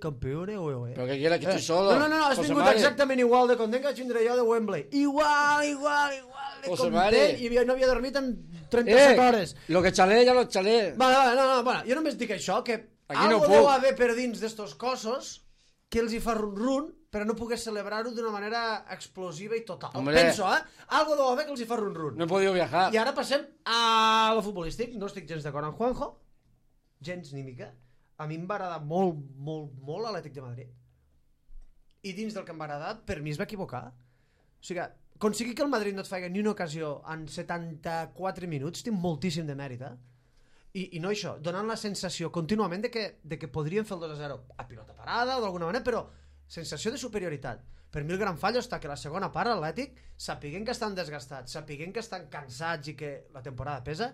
oe. Pero que quiera que estoy solo. No, has José vingut Mari. exactament igual de content que vaig vindre jo de Wembley. Igual de José content. Mari. I no havia dormit en 37 hores. Lo que chalé, ya lo chalé. Vale, no, jo només dic això, que Aquí no algo puc. deu haver per dins d'estos cossos que els hi fa run-run, però no pogués celebrar-ho d'una manera explosiva i total. Hombre. Penso, Algo deu haver que els hi fa run-run. No he podido viajar. I ara passem a lo futbolístic. No estic gens d'acord amb Juanjo, gens ni mica. A mi em va agradar molt l'Atlètic de Madrid. I dins del que em va agradar, per mi es va equivocar. O sigui, aconseguir que el Madrid no et faci ni una ocasió en 74 minuts té moltíssim de mèrit, I no això, donant la sensació contínuament de que podrien fer el 2-0 a pilota parada o d'alguna manera, però sensació de superioritat. Per mi el gran fallo està que la segona part l'Atlètic, sapiguent que estan desgastats, sapiguent que estan cansats i que la temporada pesa,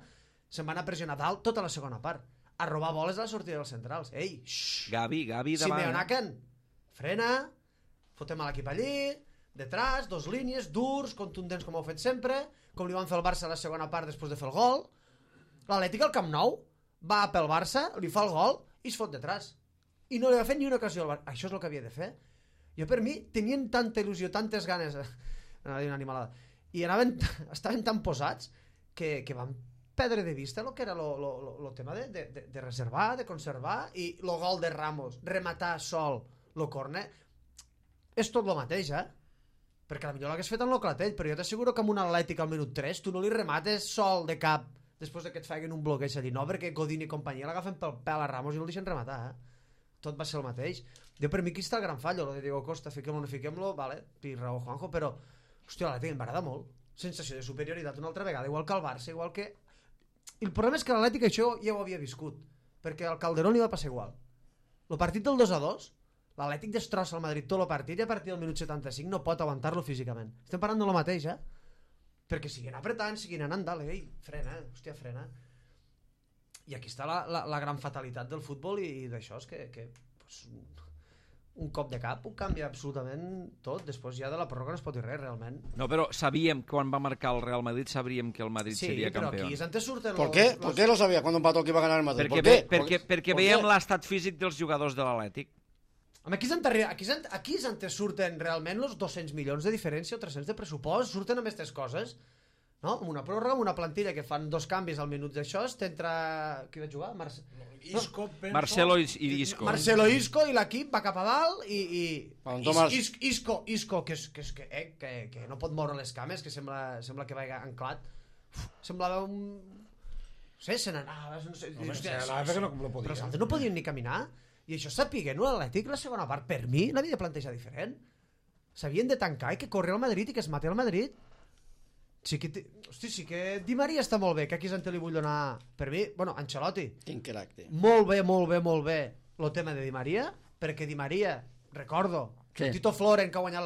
se'n van a pressionar dalt tota la segona part, a robar boles a la sortida dels centrals. Ei, xxxt, Gavi davant. Simeonaken, frena, fotem a l'equip allí, detrás, dos línies, durs, contundents com ho heu fet sempre, com li van fer el Barça a la segona part després de fer el gol. L'Atlètic al Camp Nou va pel Barça, li fa el gol i es fot detrás. I no li va fer ni una ocasió al Barça. Això és el que havia de fer. Jo, per mi, tenien tanta il·lusió, tantes ganes, anava a dir una animalada, i estaven tan posats que van perdre de vista el que era el tema de reservar, de conservar, i el gol de Ramos, rematar sol el córner, és tot el mateix, perquè potser l'hagués fet en el Clatell, però jo t'asseguro que amb un Atlètic al minut 3 tu no li remates sol de cap després que et facin un bloqueig allí, no, perquè Godín i companyia l'agafen pel pèl a Ramos i el deixen rematar, tot va ser el mateix. Jo, per mi, aquí està el gran fallo, lo de Diego Costa, fiquem-lo o no fiquem-lo, vale, pi raó Juanjo, però, hòstia, l'Atlètic em va agradar molt, sensació de superioritat una altra vegada, igual que el Barça, igual que... I el problema és que l'Atlètic això ja ho havia viscut, perquè al Calderón li va passar igual. El partit del 2-2, l'Atlètic destrossa el Madrid tot el partit i a partir del minut 75 no pot aguantar-lo físicament. Estem parlant de lo mateix, perquè siguin apretant, siguin anant dalt, ei, frena, hòstia, frena. I aquí està la gran fatalitat del futbol i d'això és que pues, un cop de cap ho canvia absolutament tot. Després ja de la pròrroga no es pot dir res, realment. No, però sabíem, quan va marcar el Real Madrid, sabríem que el Madrid seria campió. Sí, però aquí antes surten... ¿Por qué? ¿Por qué lo sabía cuando empató que iba a ganar el Madrid? Perquè veiem l'estat físic dels jugadors de l'Atlètic. Home, aquí és antes surten realment els 200 milions de diferència o 300 de pressupost, surten amb aquestes coses, no? Amb una pròrroga, amb una plantilla que fan 2 canvis al minut d'això, t'entra... Qui va jugar? Marcelo i Isco. Marcelo Isco, i l'equip va cap a dalt i Isco que no pot moure les cames, que sembla que vagi anclat. Semblava un... No sé, se n'anava... perquè no podia. Però els altres no podien ni caminar. I això sapiguent-ho, l'Atlètic la segona part, per mi, l'havia de plantejar diferent. S'havien de tancar i que corri al Madrid i que es mati al Madrid. Sí que Di Maria està molt bé, que aquí és on li vull donar... Per mi, bueno, Ancelotti. Quin caràcter. Molt bé el tema de Di Maria, perquè Di Maria, recordo, que el Tito Floren, que ha guanyat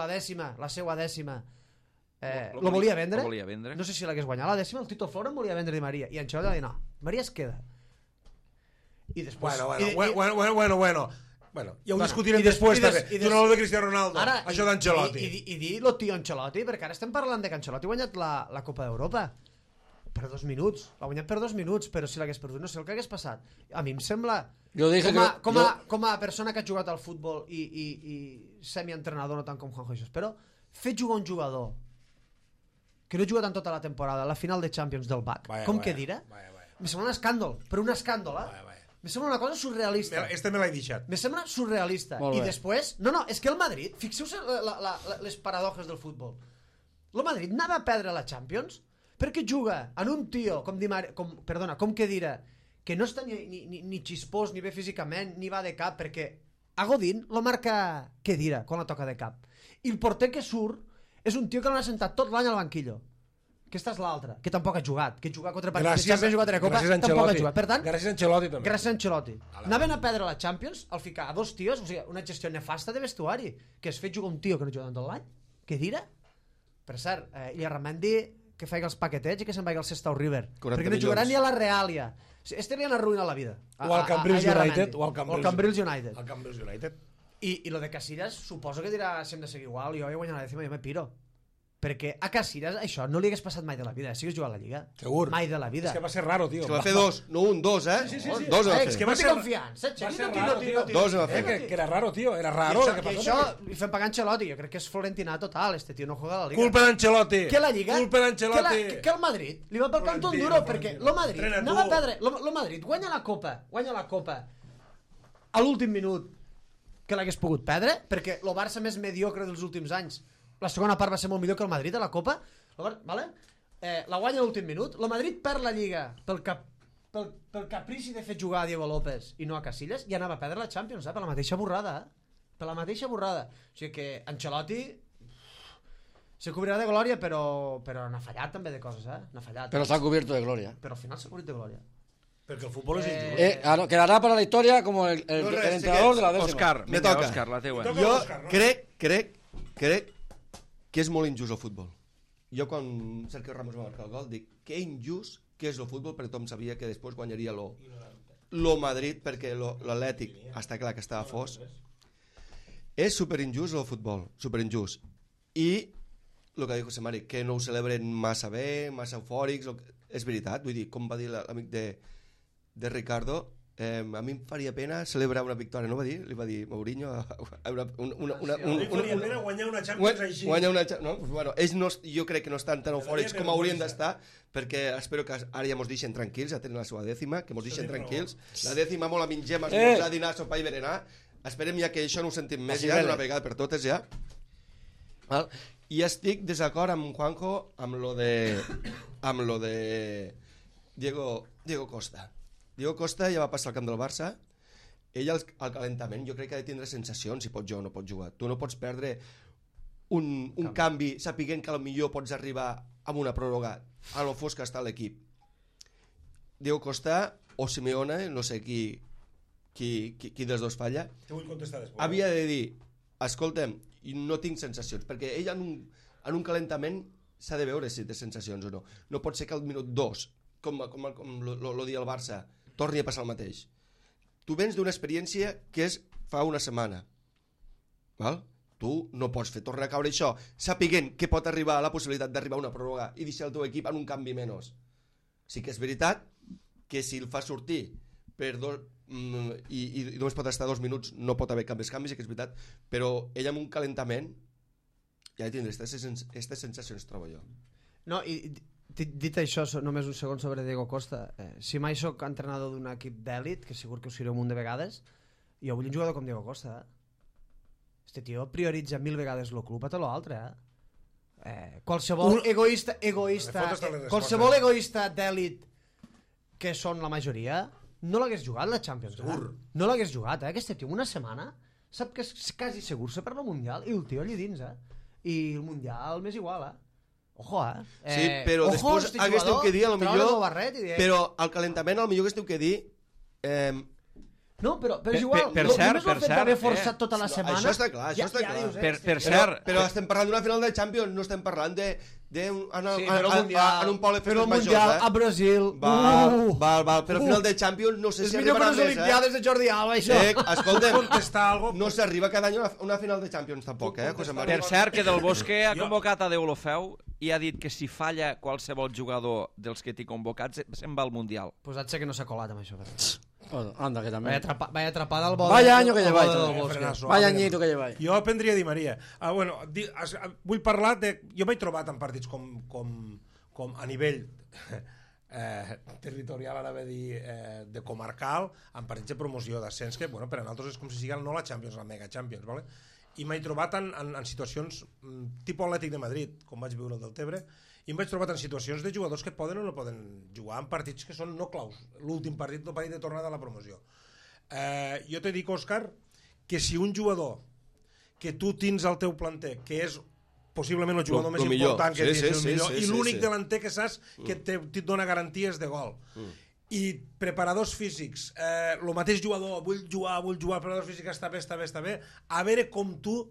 la seva dècima, lo volia vendre. No sé si l'hagués guanyat la dècima, el Tito Floren volia vendre Di Maria, i Ancelotti va dir, no, Di Maria es queda. I després... Bueno, ja ho discutirem després també. Donar-lo de Cristiano Ronaldo, ara, això d'Ancelotti. I dir lo tio Ancelotti, perquè ara estem parlant de que Ancelotti ha guanyat la Copa d'Europa per 2 minuts. L'ha guanyat per 2 minuts, però si l'hagués perdut no sé el que hagués passat. A mi em sembla... Com a persona que ha jugat al futbol i semi-entrenador, no tant com Juanjo Jesús, però fer jugar un jugador que no ha jugat en tota la temporada a la final de Champions del BAC, que dirà? Me sembla un escàndol, però un escàndol, Me sembla una cosa surrealista. Este me l'he deixat. Me sembla surrealista. I després... No, és que el Madrid... Fixeu-se les paradoxes del futbol. El Madrid anava a perdre la Champions perquè juga en un tio com Khedira, que no està ni xispós, ni bé físicament, ni va de cap, perquè a Godín lo marca Khedira quan la toca de cap. I el porter que surt és un tio que l'ha sentat tot l'any al banquillo. Aquesta és l'altra, que tampoc ha jugat, que juga contra partits de Champions, ha jugat a la Copa, tampoc ha jugat. Per tant, gràcies a Ancelotti també. Gràcies a Ancelotti. Anaven a perdre la Champions al ficar a 2 tios, o sigui, una gestió nefasta de vestuari, que es fet jugar un tio que no juga tot l'any, que dirà. Per cert, i a Ramendi que faig els paquetets i que se'n vagi al Sestao River, perquè no jugarà ni a la Reàlia. Este li han arruïnat la vida. O al Cambrils United. O al Cambrils United. Al Cambrils United. I lo de Casillas, suposo que dirà si hem de seguir igual, jo he guanyat la dècima i jo me piro. perquè a Casillas això no li hagués passat mai de la vida, si hagués jugat a la Lliga. Segur. Mai de la vida. És que va ser raro, tio. És que va fer 2, no un, 2, eh? Sí. Dos va És fer. que va no té ser- confiança, va ser Xavi, raro, tio. Dos va fer. Que era raro, tio. Era raro. I això li fem pagar Ancelotti, jo crec que és Florentina total, este tio no juega a la Liga. Culpa d'Ancelotti. Que la Lliga, Culpa d'Ancelotti. que el Madrid li va pel cantó un duro, perquè el Madrid Entrena anava a tu. perdre, el Madrid guanya la Copa a l'últim minut que l'hagués pogut perdre, perquè el Barça més mediocre dels últims anys, la segona part va ser molt millor que el Madrid a la Copa, vale? La guanya a l'últim minut, el Madrid perd la Lliga pel caprici de fer jugar a Diego López i no a Casillas, i anava a perdre la Champions, per la mateixa borrada, per la mateixa borrada. O sigui que Ancelotti se cobrirà de glòria, però n'ha fallat també de coses, n'ha fallat. Pero se ha cubierto de gloria. Però al final s'ha cobrit de glòria. Perquè el futbol és injust. Claro, quedará para la historia como el No, res, entrenador de la décima. Òscar, Me vinga, toca. Òscar, la teua. Toca. Jo Òscar, no? crec que és molt injust el futbol. Jo quan Sergio Ramos va marcar el gol dic que injust que és el futbol, perquè tothom sabia que després guanyaria lo Madrid, perquè l'Atlètic està clar que estava fos. És superinjust el futbol, superinjust. I el que diu José Mari, que no ho celebren massa bé, massa eufòrics, és veritat, vull dir, com va dir l'amic de Ricardo, a mi em faria pena celebrar una victòria, no va dir? Li va dir Mourinho Faria pena guanyar una Champions així. guanyar una no? Bueno, ells no, jo crec que no estan tan eufòrics com haurien d'estar, perquè espero que ara ja mos deixen tranquils, ja tenen la seva dècima, que mos deixen tranquils, la dècima molt a mingem, esmorzar, dinar, sopar i berenar, esperem ja que això no ho sentim més ja d'una vegada per totes ja. Val? I estic desacord amb Juanjo amb lo de Diego Costa. Diego Costa ja va passar al camp del Barça, ell al calentament jo crec que ha de tindre sensacions si pot jugar o no pot jugar. Tu no pots perdre un canvi sapiguent que potser pots arribar amb una pròrroga a lo fos que està l'equip. Diego Costa o Simeone, no sé qui dels dos falla, Te vull contestar després. havia de dir, escolta'm, no tinc sensacions, perquè ell en un calentament s'ha de veure si té sensacions o no. No pot ser que al minut 2, com lo dia el Barça, torni a passar el mateix. Tu vens d'una experiència que és fa una setmana. Val? Tu no pots tornar a caure això, sapiguent que pot arribar la possibilitat d'arribar a una pròrroga i deixar el teu equip en un canvi menys. Sí que és veritat que si el fa sortir per i només pot estar 2 minuts, no pot haver canvis, sí que és veritat, però ell amb un calentament ja tindrà aquestes sensacions, trobo jo. No, i dit això, només un segon sobre Diego Costa, si mai sóc entrenador d'un equip d'èlit, que segur que ho seré un munt de vegades, jo vull un jugador com Diego Costa. Este tio prioritza 1000 vegades el club a tot l'altre. Qualsevol qualsevol egoista d'èlit, que són la majoria, no l'hagués jugat la Champions. No l'hagués jugat, Aquest tio una setmana sap que és quasi segur se per la Mundial i el tio allí dins, I el Mundial m'és igual, Ojo, Sí, però després hagués que dir, però al calentament al millor hagués que dir no, però és igual, per cert, només el fet d'haver forçat tota la setmana... Això està clar, això està clar. Dius, Per cert... Però estem parlant d'una final de Champions, no estem parlant en un poble de però festes el Mundial majors, a Brasil... Val, però final de Champions no sé si arribarà més, És millor que les Olimpiades de Jordi Alba, això. Escolta'm, no s'arriba cada any a una final de Champions tampoc, José María. Per cert, que Del Bosque ha convocat a Deulofeu i ha dit que si falla qualsevol jugador dels que t'hi convocats se'n va al Mundial. Pues haig que no s'ha colat amb això. Bueno, anda, que también. Vaya atrapada al bol. Vaya año que lleváis. Bosque. Vaya añito que lleváis. Jo prendria Di Maria. Vull parlar de... Jo m'he trobat en partits com a nivell territorial, ara ve dir, de comarcal, en partits de promoció d'ascens, que per a nosaltres és com si siguin no la Champions, la Mega Champions, ¿vale? I m'he trobat en situacions tipus Atlètic de Madrid, com vaig viure el del Tebre, i em vaig trobar en situacions de jugadors que poden o no poden jugar en partits que són no claus, l'últim partit, el partit de tornada a la promoció. Jo te dic, Òscar, que si un jugador que tu tens al teu planter, que és possiblement el jugador més important que tens, el millor, i l'únic delanter que saps que et dona garanties de gol, i preparadors físics, el mateix jugador, vull jugar, preparadors físics, està bé, a veure com tu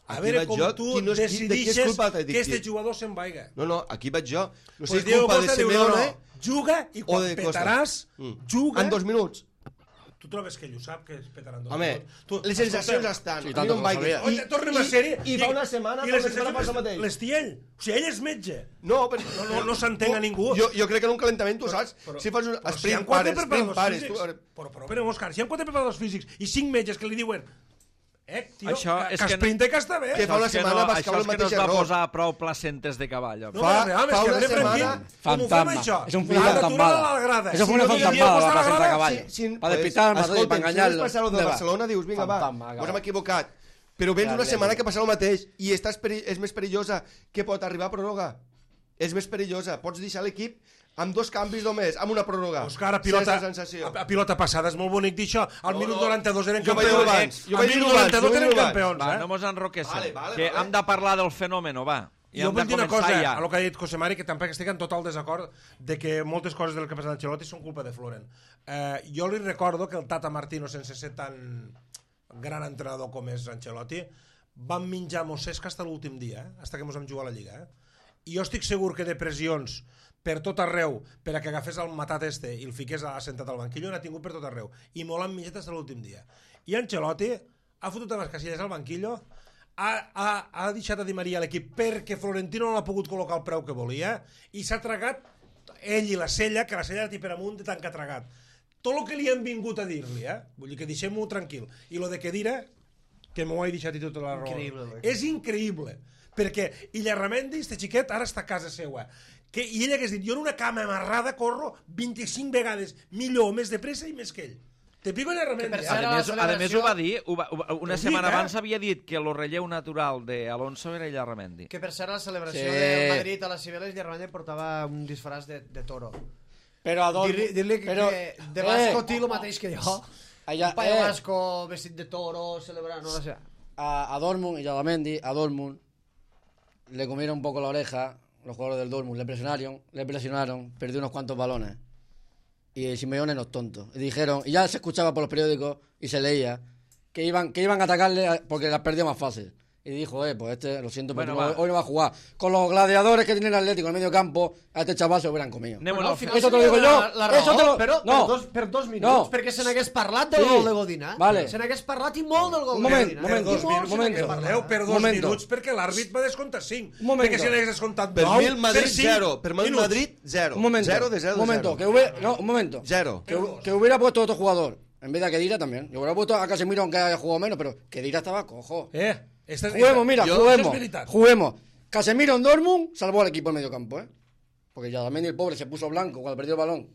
decidixes que aquest jugador se'n vaiga. No, aquí vaig jo. No sé Pues si és culpa de Simeone juga i quan petaràs, juga... En 2 minuts. Tu trobes que ell ho sap, que es petaran tot? Home, les sensacions estan. Sí, A mi tant, no em vaiguis. ho Oye, tornem a sèrie. I fa una setmana, I les fa una setmana sensacions passa el mateix. les té ell. O sigui, ell és metge. No, però... No s'entén a ningú. Jo crec que en un calentament, tu saps, si fas un sprint pares, Però, Òscar, si hi ha 4 preparadors físics i 5 metges que li diuen tio, Això que és que esprinta que està bé. Que fa una setmana vas això caure és el que no mateix es va error. posar prou placentes de cavall. home. No, Fa però, home, és que una René setmana- Franquín, com ho fem Fantasma. això? És un Una altura fantasmada. a la grada. Eso fue Si una no hi havia fantasmada, posat la a la placenta de grada, cavall. Pa despistar al Madrid, pa engañarlo. Si passar el de ¿Dónde va? Barcelona, dius, vinga, va, Fantasma, ens hem equivocat. Però vens una setmana que passa el mateix i és més perillosa que pot arribar a pròrroga. És més perillosa. Pots deixar l'equip amb 2 canvis només, amb una pròrroga. Òscar, a pilota passada és molt bonic dir això. Al minut 92 eren Jo vaig campions. dir-ho abans, jo Al vaig minut dir-ho abans, 92 jo eren vaig dir-ho campions. Va, no mos enroquessin, Vale, que hem de parlar del fenòmeno, va. I Jo hem vull de dir una començar cosa, ja. a lo que ha dit José Mari, que tampoc estic en total desacord de que moltes coses del que ha passat a Ancelotti són culpa de Floren. Jo li recordo que el Tata Martino, sense ser tan gran entrenador com és Ancelotti, van menjar mossesca fins a l'últim dia, fins que ens vam jugar a la Lliga. I jo estic segur que de pressions per tot arreu, per a que agafés el matat i el fiqués assentat al banquillo, n'ha tingut per tot arreu. I molt han menjat fins a l'últim dia. I Ancelotti ha fotut a les casilles al banquillo, ha deixat a Di Maria a l'equip perquè Florentino no l'ha pogut col·locar al preu que volia i s'ha tragat ell i la Sella, que la Sella era per amunt de tant que ha tragat. Tot el que li han vingut a dir-li, vull dir que deixem-ho tranquil. I lo de Kedira, que m'ho he deixat i tota la raó. És increïble. Perquè Illarramendi, este xiquet, ara està a casa seua. I ell hagués dit, jo en una cama amarrada corro 25 vegades millor, més de pressa i més que ell. Te pico Illarramendi. A més ho va dir, una setmana dic, abans havia dit que el relleu natural d'Alonso era Illarramendi. Que per cert, a la celebració Sí. del Madrid a les Cibeles, Llarramendi portava un disfraç de toro. Pero a dos... Dir-li que de Vasco té el mateix que jo. Allá, Un paio vasco vestit de toro, celebrant, no sé. a Dortmund y a Lamendi, a Dortmund, le comieron un poco la oreja los jugadores del Dortmund, le presionaron, perdió unos cuantos balones. Y Simeone no es tonto. Y dijeron, y ya se escuchaba por los periódicos y se leía, que iban a atacarle porque las perdió más fácil. Y dijo, pues lo siento, pero Bueno, hoy no va a jugar. Con los gladiadores que tiene el Atlético en el medio campo, a este chaval se lo hubieran comido. Anem-ho al final. Eso te lo digo yo. La raó, Eso te lo... però no. per dos minuts, No. perquè se n'hagués parlat del Sí. gol de Godina. Vale. Se n'hagués parlat i molt del gol Un de moment, Godina. moment, I molt se n'hagués moment. parlat. Per dos Momento. minuts perquè l'àrbit va descomptar 5. Un momento. Perquè si n'hagués descomptat 9, Per mi el Madrid cinc 0. Per mi el minuts. Madrid 0. Un momento. 0 de 0 Un momento. de 0. Un momento. 0. Que hubiera puesto otro jugador. En vez de a Kedira también. Yo hubiera puesto a Casemiro aunque haya jugado menos, pero Kedira estaba cojo. Juguemos, mira, juguemos. Casemiro en Dortmund salvó al equipo en medio campo, Porque ya también el pobre se puso blanco cuando perdió el balón.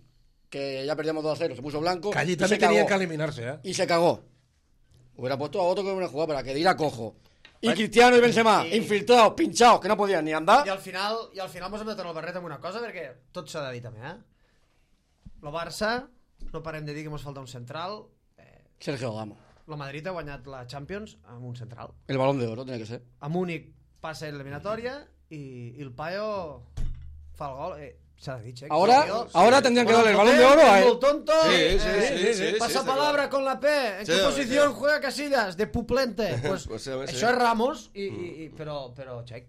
Que ya perdíamos 2-0, se puso blanco. Que allí y també se tenien cagó. que eliminar-se, Y se cagó. Hubiera puesto a otro que hubiera jugado para Kedira cojo. Y Cristiano y Benzema, infiltrados, pinchados, que no podían ni andar. I al final mos hem de tornar el barret amb una cosa, perquè tot s'ha de dir també, El Barça, no parem de dir que mos falta un central. Sergio Ramos. El Madrid ha guanyat la Champions amb un central. El balón de oro tiene que ser. A Múnich passa l'eliminatòria i el Paio fa el gol. S'ha de dir, Checo. Ahora tendrían que darle el balón de oro a él. Molt tonto. Sí, Pasa sí, palabra con la P. ¿En qué posición juega Casillas? De puplente. Pues això és Ramos, però Checo.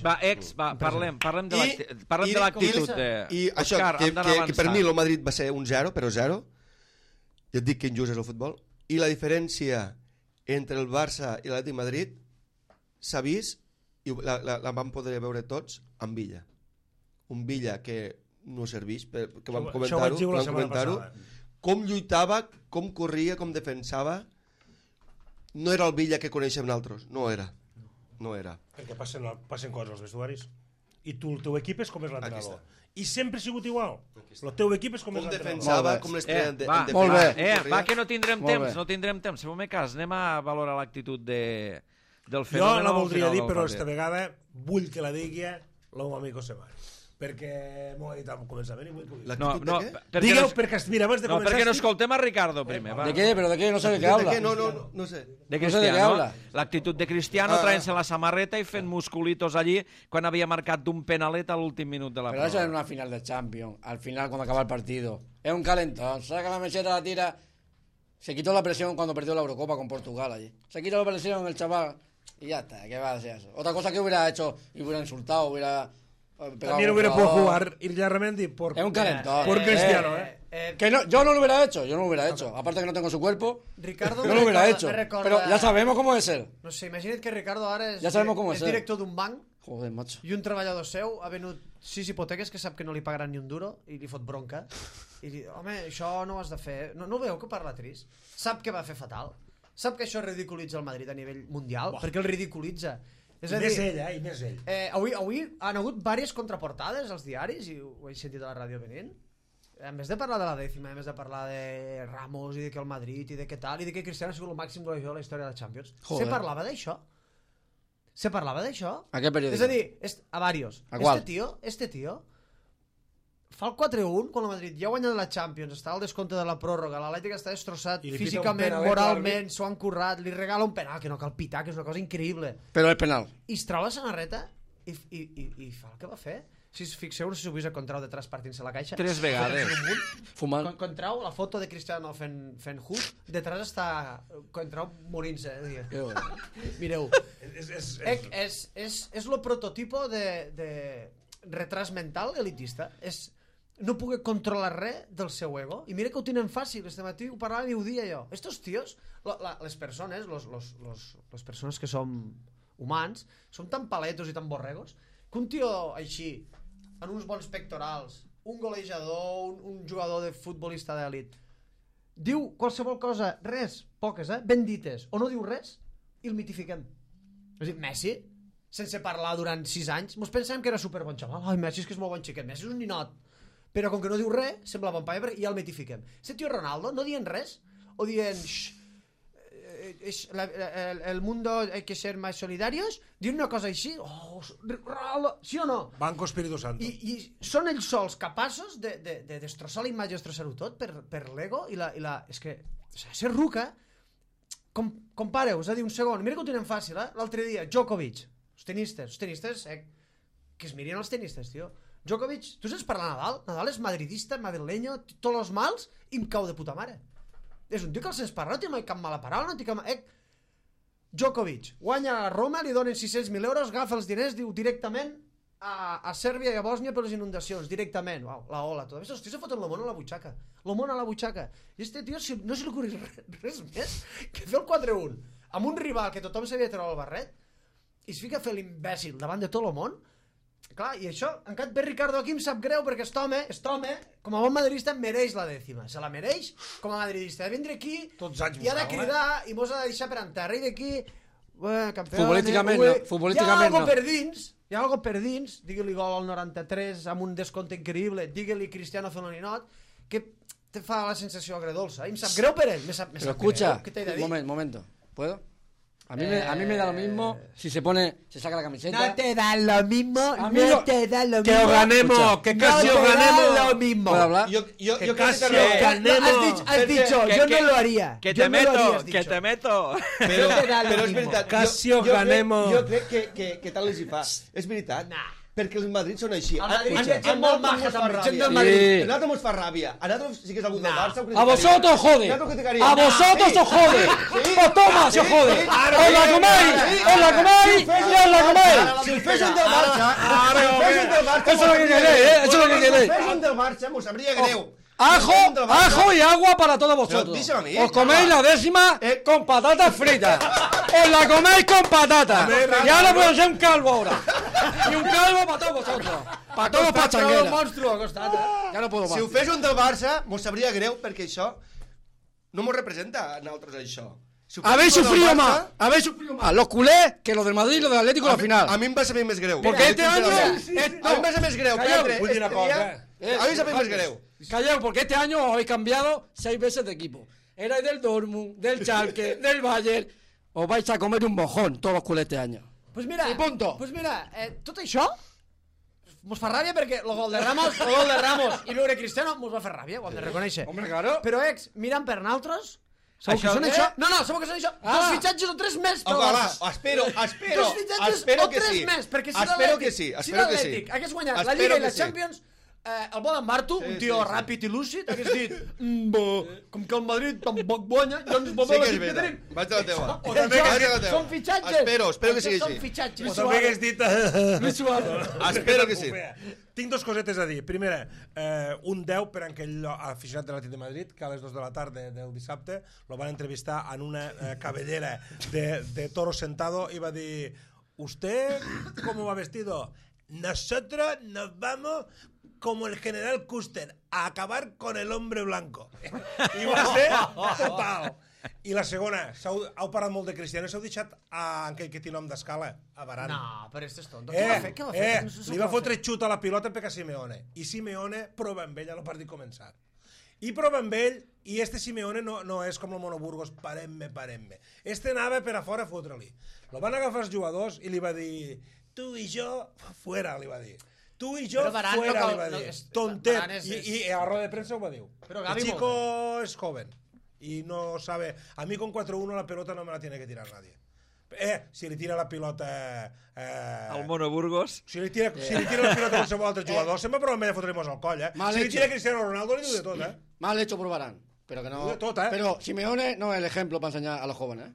Va, parlem de l'actitud de... I això, Òscar, hem d'anar que avançant. per mi el Madrid va ser un 0, però 0. Jo et dic que injust és el futbol. I la diferència entre el Barça i l'Atlètic Madrid s'ha vist, i la vam poder veure tots, amb Villa. Un Villa que no serveix, que vam comentar-ho, com lluitava, com corria, com defensava. No era el Villa que coneixem nosaltres, no era. Perquè passen coses als vestuaris. I tu, el teu equip és com és l'entrenador. I sempre ha sigut igual. El teu equip és com és Com l'entrenador. defensava, com l'estrella en defensa. Molt bé. Va, que no tindrem temps, Feu-me cas, anem a valorar l'actitud del Jo fenòmeno. la al voldria final dir, del però partit. esta vegada vull que la digui el meu amic José Mari. Perquè m'ho ha dit al començament i vull que ho digui. L'actitud No, de què? perquè Digueu, no, perquè mira, abans de no, començar... perquè no escoltem a Ricardo primer. Va. ¿De qué? ¿Pero de qué? No sé de qué habla. No sé. De No sé de què Cristiano. habla. L'actitud de Cristiano traient-se la samarreta i fent musculitos allí quan havia marcat d'un penalet a l'últim minut de la Pero eso prova. es una final de Champions. Al final, cuando acaba el partido. Es un calentón. Saca la meseta, la tira. Se quitó la presión cuando perdió la Eurocopa con Portugal allí. Se quitó la presión el chaval y ya está. ¿Qué va a hacer eso? Otra cosa que hubiera hecho, y hubiera insultado, hubiera También hubiera podido jugar Irarramendi por... Es un calentón. Por Cristiano, Que no, yo no lo hubiera hecho, Aparte que no tengo su cuerpo, Ricardo no lo hubiera me hecho. recorda- Pero ya sabemos cómo es él. No sé, imagina't que Ricardo ara Ja sabem com és, és director d'un banc Joder, macho. i un treballador seu ha venut 6 hipoteques que sap que no li pagaran ni un duro i li fot bronca i li home, això no ho has de fer, no veu que parla trist? Sap que va fer fatal, sap que això ridiculitza el Madrid a nivell mundial, perquè el ridiculitza. És a dir, més ell, i més ell. avui han hagut diverses contraportades als diaris i ho he sentit a la ràdio venint. En vez de parlar de la dècima, en vez de parlar de Ramos i de que el Madrid i de què tal, i de que Cristiano ha sigut el màxim golejador de la història de la Champions, Joder. se parlava d'això? Se parlava d'això? ¿A qué periódico? És a dir, a varios. ¿A cuál? Este tío fa el 4-1 quan el Madrid ja ha guanyat la Champions, està al descompte de la pròrroga, l'Atlètic està destrossat I li pita un físicament, penal, moralment, s'ho han currat, li regala un penal que no cal pitar, que és una cosa increïble. Pero es penal. I es trau la samarreta i fa el que va fer. Si us fixeu, no sé si ho vist a Contrau detrás partint-se la caixa. 3 vegades. Fumant. Contrau, la foto de Cristiano fent hook, detrás està Contrau morint-se. Qué bueno. Mireu. És És lo prototipo de retras mental elitista. No poder controlar res del seu ego. I mira que ho tenen fàcil. Este matí ho parlava i ho dia jo. Estos tios, les persones, les persones que som humans, som tan paletos i tan borregos que un tio així, en uns bons pectorals, un golejador, un jugador de futbolista d'elit, diu qualsevol cosa, res, poques, ben dites, o no diu res, i el mitifiquem. És a dir, Messi, sense parlar durant 6 anys, mos pensem que era superbon xaval. Ai, Messi és que és molt bon xiquet, Messi és un ninot. Però com que no diu res, sembla bon paia i ja el mitifiquem. Este tio Ronaldo no dient res, o dient el mundo hay que ser más solidarios, dient una cosa així, Ronaldo, sí o no? Banco Espíritu Santo. I són ells sols capaços de destrossar la imatge, destrossar-ho tot per l'ego i la... És que ser ruca, compareu, és a dir, un segon, mira que ho tenen fàcil, l'altre dia, Djokovic, els tenistes, que es mirin els tenistes, tio. Djokovic, tu saps parlar Nadal és madridista, madrileño, tots els mals, i em cau de puta mare. És un tio que el sents parlar, no té mai cap mala paraula, no té cap... Djokovic guanya a Roma, li donen 600.000 euros, agafa els diners, diu directament a Sèrbia i a Bòsnia per les inundacions, directament, la ola, tot. Els tios se foten l'homón a la butxaca, i este tio no se li ocorri res més que fer el 4-1 amb un rival que tothom sabia treure el barret i es fica a fer l'imbècil davant de tot el món. Clar, i això, encara ve Ricardo aquí, em sap greu perquè aquest home, com a bon madridista, mereix la dècima. Se la mereix com a madridista. Ha de vindre aquí i ha de cridar i mos ha de deixar per en terra i d'aquí... campió... Futbolísticament no. Hi ha algo per dins, digue-li gol al 93 amb un descompte increïble, digue-li Cristiano fent un ninot, que te fa la sensació agredolça. I em sap greu per ell. Pero escucha, un momento, ¿puedo? A mí me da lo mismo si se saca la camiseta. No te da lo mismo, Que os ganemos, que casi os ganemos. lo mismo. ¿Puedo hablar? Que casi os No, ganemos. has dicho, yo no lo haría. Que Yo te no lo haría, meto, has que dicho. te meto. Però és veritat. Casi os ganemos. Jo crec que tal els hi fa. És veritat. Perquè els Madrid són així. El Madrid gent molt maja, també, gent del Madrid. A nosaltres mos fa ràbia. A nosaltres, si que és algú del Barça, ho A criticaria. vosotros jode. Nosaltres ho criticaríem. A vosotros os jode. Pues toma, si os jode. Os la coméis. Si el fesen del Barça, Eso es lo que queréis, eso es lo que si el queréis. fesen del Barça, mos sabria greu. Ajo y agua para todos vosotros. díselo a mí. Os coméis la décima con patatas fritas. Os la coméis con patatas. Ya no puedo ser un calvo ahora. Y un calvo para todos vosotros. Para todos pachangueras. Ya no puedo más. Si ho fes un del Barça, mos sabria greu perquè això no mos representa a nosaltres això. Si ho fes Habéis un del sufrido Barça, más los culés que los del Madrid y los del Atlético en la final. A mi em va saber més greu. Porque este año... A mi em va saber més greu. Calleu, Petre, vull dir una este cosa. dia, a mi em saber més greu. Calleu, porque este año os habéis cambiado 6 veces de equipo. Erais del Dortmund, del Schalke, del Bayern. Os vais a comer un mojón todos los culés este año. Pues mira, I punto. tot això mos fa ràbia perquè el gol de Ramos i l'Ure Cristiano mos va fer ràbia, ho hem de reconèixer. Hombre, claro. Però, mirant per nosaltres, sabeu que Això són què? això? No, sabeu que són això? Dos fitxatges o 3 més pel Ojalà, Barça. espero Dos fitxatges espero o que 3 sí. més, perquè si Espero que l'Atlètic sí, si espero que sí. l'Atlètic hagués guanyat la Espero Lliga i que la sí. Champions, el bon en Marto, un tio ràpid i lúcid, hagués dit com que el Madrid tampoc guanya, doncs Sí que és que tenim. veritat. Vaig a la teva. O també Vaig a la teva. són fitxatges. Espero que sigui Són així. fitxatges. O també hagués dit... Luis Suárez. Espero que sí. Tinc dos cosetes a dir. Primera, un 10 per aquell aficionat de l'Atlètic de Madrid que a les 2 de la tarda del dissabte lo van entrevistar en una cabellera de toro sentado i va dir: ¿Usted cómo va vestido? Nosotros nos vamos como el general Custer a acabar con el hombre blanco. I va ser total. I la segona, heu parlat molt de Cristiano, s'heu deixat a aquell que té nom d'escala, a Varane. No, però este és tonto. Què va fer? Li va fotre xut a la pilota per a Simeone. I Simeone prova amb ell a lo partit començar. I prova amb ell, i este Simeone no és com el Monoburgos, parem-me. Este anava per a fora a fotre-li. Lo van agafar els jugadors i li va dir: tu i jo, fuera, li va dir. Tu i jo, fuera, li va dir. Tontet. I a la roda de premsa ho va dir. El chico es joven. Y no sabe, a mí con 4-1 la pelota no me la tiene que tirar nadie. Si li tira la pilota... Al Monoburgos. Si li tira la pilota a qualsevol altre jugador, sempre prova amb ell a fotre-mos al coll, Si li tira Cristiano Ronaldo, li diu de tot, Mal hecho por Varane, pero que no... De tot, Pero Simeone no es el ejemplo para enseñar a los jóvenes,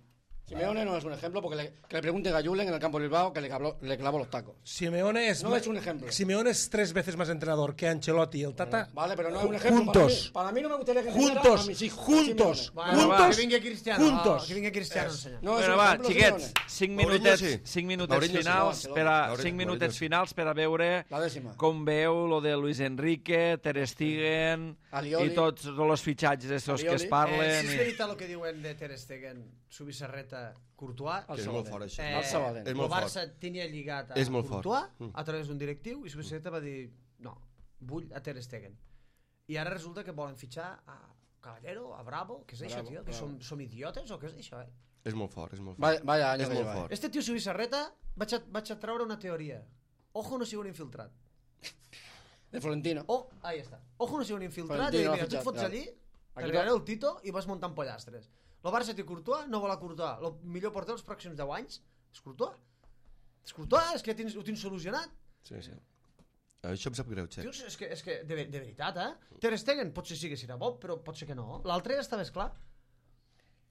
Simeone no es un ejemplo porque que le pregunte a Julen en el campo de Bilbao que le clavó los tacos. Simeone es... No es un ejemplo. Simeone es 3 veces más entrenador que Ancelotti y el Tata. Vale, pero no es un ejemplo. Juntos. Para mí no me gustaría que enseñara a mis hijos. Juntos. Que vingui Cristiano. Que vingui Cristiano a ensenyar. No, Bueno, va, xiquets, 5 minutets finals per a veure La dècima. com veu lo de Luis Enrique, Ter Stegen Alioli. i tots els fitxatges estos que es Alioli. parlen. Si és veritat el que diuen de Ter Stegen, Subisarreta, Courtois, Que és molt fort, això. El Sabadell. És el molt Barça fort. tenia lligat a És molt fort. Courtois a través d'un directiu i Subisareta va dir no, vull a Ter Stegen. I ara resulta que volen fitxar a Caballero, a Bravo, què és això, tio? Que som idiotes o què és això, És molt fort, és molt fort. Vaya año És que molt lleva, fort. Este tio Subisarreta vaig a treure una teoria. Ojo no sigui un infiltrat. De Florentino. Ahí està. Ojo no sigui un infiltrat Florentino i l'ha mira, tu et fitxat, fots ja. allí, Aquí t'arribarà el Tito i vas muntant pollastres. El Barça té Courtois, no vol a Courtois. El millor porter dels pròxims 10 anys és Courtois. És Courtois, és que ho tens solucionat. Sí. Això em sap greu, Xec. Tios, és que de veritat, Ter Stegen potser sí que serà bo, però pot ser que no. L'altre ja està més clar.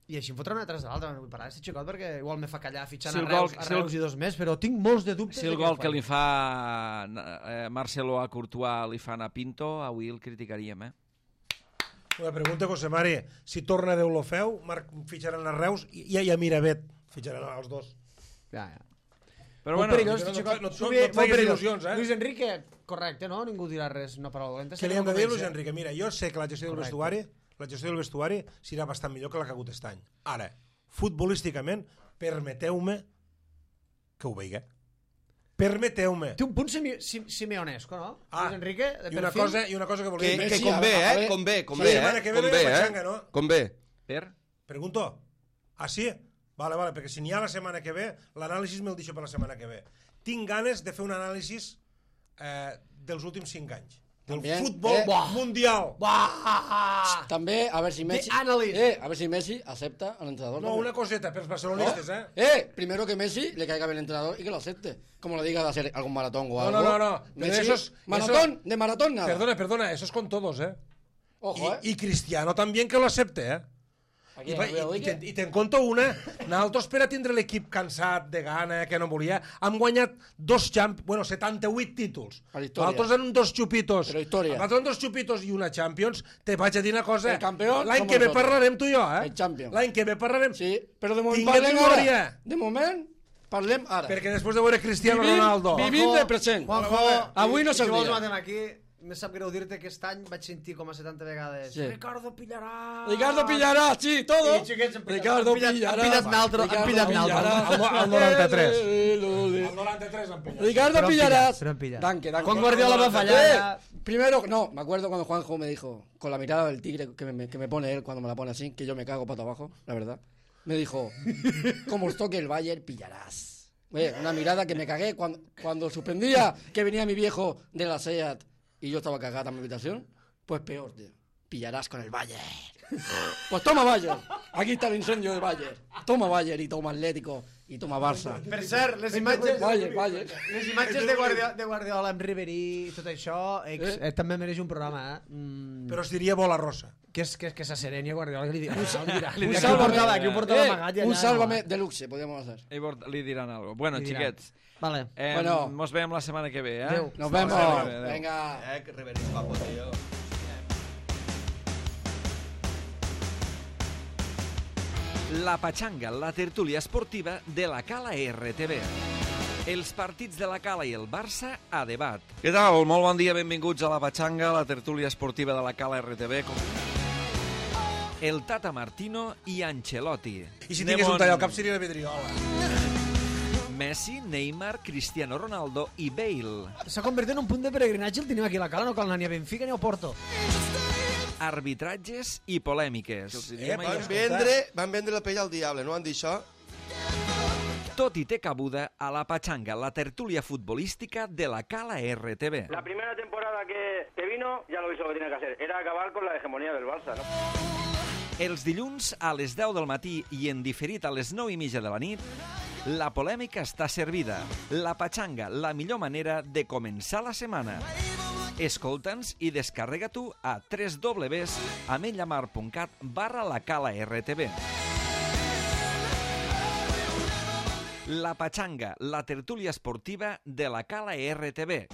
I així em fotrà una atrás de l'altra, no vull parar aquest xicot perquè igual me fa callar fitxant Si el a gol- Reus i 2 més, però tinc molts de dubtes. Si el gol que li fa Marcelo a Courtois li fan a Pinto, avui el criticaríem, Una pregunta, José Mari. Si torna Déu lo feu, fitxaran a Reus i a Miravet. Fitxaran els dos. Ja. Però Molt bueno, perillós, no- xicot. no- no- Molt no et facis perillós. il·lusions, Luis Enrique, correcte, no? Ningú dirà res, no paraula dolenta. Què li hem de dir a Luis Enrique? Mira, jo sé que la gestió del Correcte. vestuari serà bastant millor que la que ha hagut aquest any. Ara, futbolísticament, permeteu-me que ho veiga. Permeteu-me. Té un punt simeonesco, no? Luis Enrique, de i una cosa que volia dir. Que Messi, convé, a ver, convé, la setmana que ve no hi ha pachanga, no? Convé. per... Pregunto. Ah, sí? Vale, perquè si n'hi ha la setmana que ve, l'anàlisi me'l deixo per la setmana que ve. Tinc ganes de fer un anàlisi dels últims 5 anys. Del También, futbol mundial. També, a ver si Messi... analyst. a ver si Messi acepta al entrenador. No, una coseta pels barcelonistes, Primero que Messi le caiga bien el entrenador y que lo acepte. Como le diga de hacer algún maratón o algo. No. Messi, de maratón nada. Perdona, eso es con todos, Ojo, Y Cristiano también que lo acepte, Aquí I te'n conto una. Nosaltres, per a tindre l'equip cansat, de gana, que no volia, hem guanyat 78 títols. A la història. Nosaltres en 2 xupitos. Però història. Nosaltres en 2 xupitos i una Champions. Te vaig a dir una cosa. El campeón L'any somos que ve nosotros. parlarem tu i jo, El Champions. L'any que ve parlarem. Sí, però de moment Tinguem parlem memòria. ara. De moment parlem ara. Perquè després de veure Cristiano Ronaldo... Vivim del present. Juanjo, Avui no si vols s'hauria. matem aquí, me sap greu dir-te que aquest any vaig sentir com a 70 vegades Sí. Ricardo pillarà. Ricardo pillará, sí, todo. I xiquets han pillat- Ricardo han pillat- pillará. han pillat naltro, han Ricardo pillat naltro. pillará. Al 93. El 93 han pillat. Ricardo Pero han pillarás. pillado, pero han pillado. Danke. Juan Guardiola va a fallar. Primero, no, me acuerdo cuando Juanjo me dijo, con la mirada del tigre que me pone él cuando me la pone así, que yo me cago pata abajo, la verdad. Me dijo, como os toque el Bayern, pillarás. Oye, una mirada que me cagué cuando suspendía que venía mi viejo de la SEAT y yo estaba cagada en mi habitación. Pues peor, tío. Pillarás con el Bayern. Pues toma Bayern. Aquí está el incendio de Bayern. Toma Bayern y toma Atlético y toma Barça. Per cert, les imatges... Bayern. Les imatges de Guardiola amb Ribéry i tot això també mereix un programa, Però es diria bola rossa. que s'assereni a Guardiola, que li dirà. Un portava amagat un sálvame de luxe, podríamos hacer. Li diran algo. Bueno, Li diran. xiquets, Vale. Bueno. mos veiem la setmana que ve, eh? Adéu. Nos vemos. Adéu. Venga. Que reverís papo, tío. La Patxanga, la tertúlia esportiva de la Cala RTV. Els partits de la Cala i el Barça a debat. Què tal? Molt bon dia, benvinguts a la Patxanga, la tertúlia esportiva de la Cala RTV. El Tata Martino i Ancelotti. I si tingués un tall al cap seria la vidriola. Messi, Neymar, Cristiano Ronaldo i Bale. S'ha convertit en un punt de peregrinatge, el tenim aquí a la Cala, no cal anar ni a Benfica ni a Porto. Arbitratges i polèmiques. Van vendre la pell al diable, no van dir això? Tot i té cabuda a la Patxanga, la tertúlia futbolística de la Cala RTV. La primera temporada que vino, ya lo hizo lo que tenía que hacer. Era acabar con la hegemonía del Barça, ¿no? Els dilluns a les 10 del matí i en diferit a les 9:30 de la nit, la polèmica està servida. La Patxanga, la millor manera de començar la setmana. Escolta'ns i descarrega-t'ho a www.ametlamar.cat/lacala-rtv. La Patxanga, la tertúlia esportiva de la Cala RTV.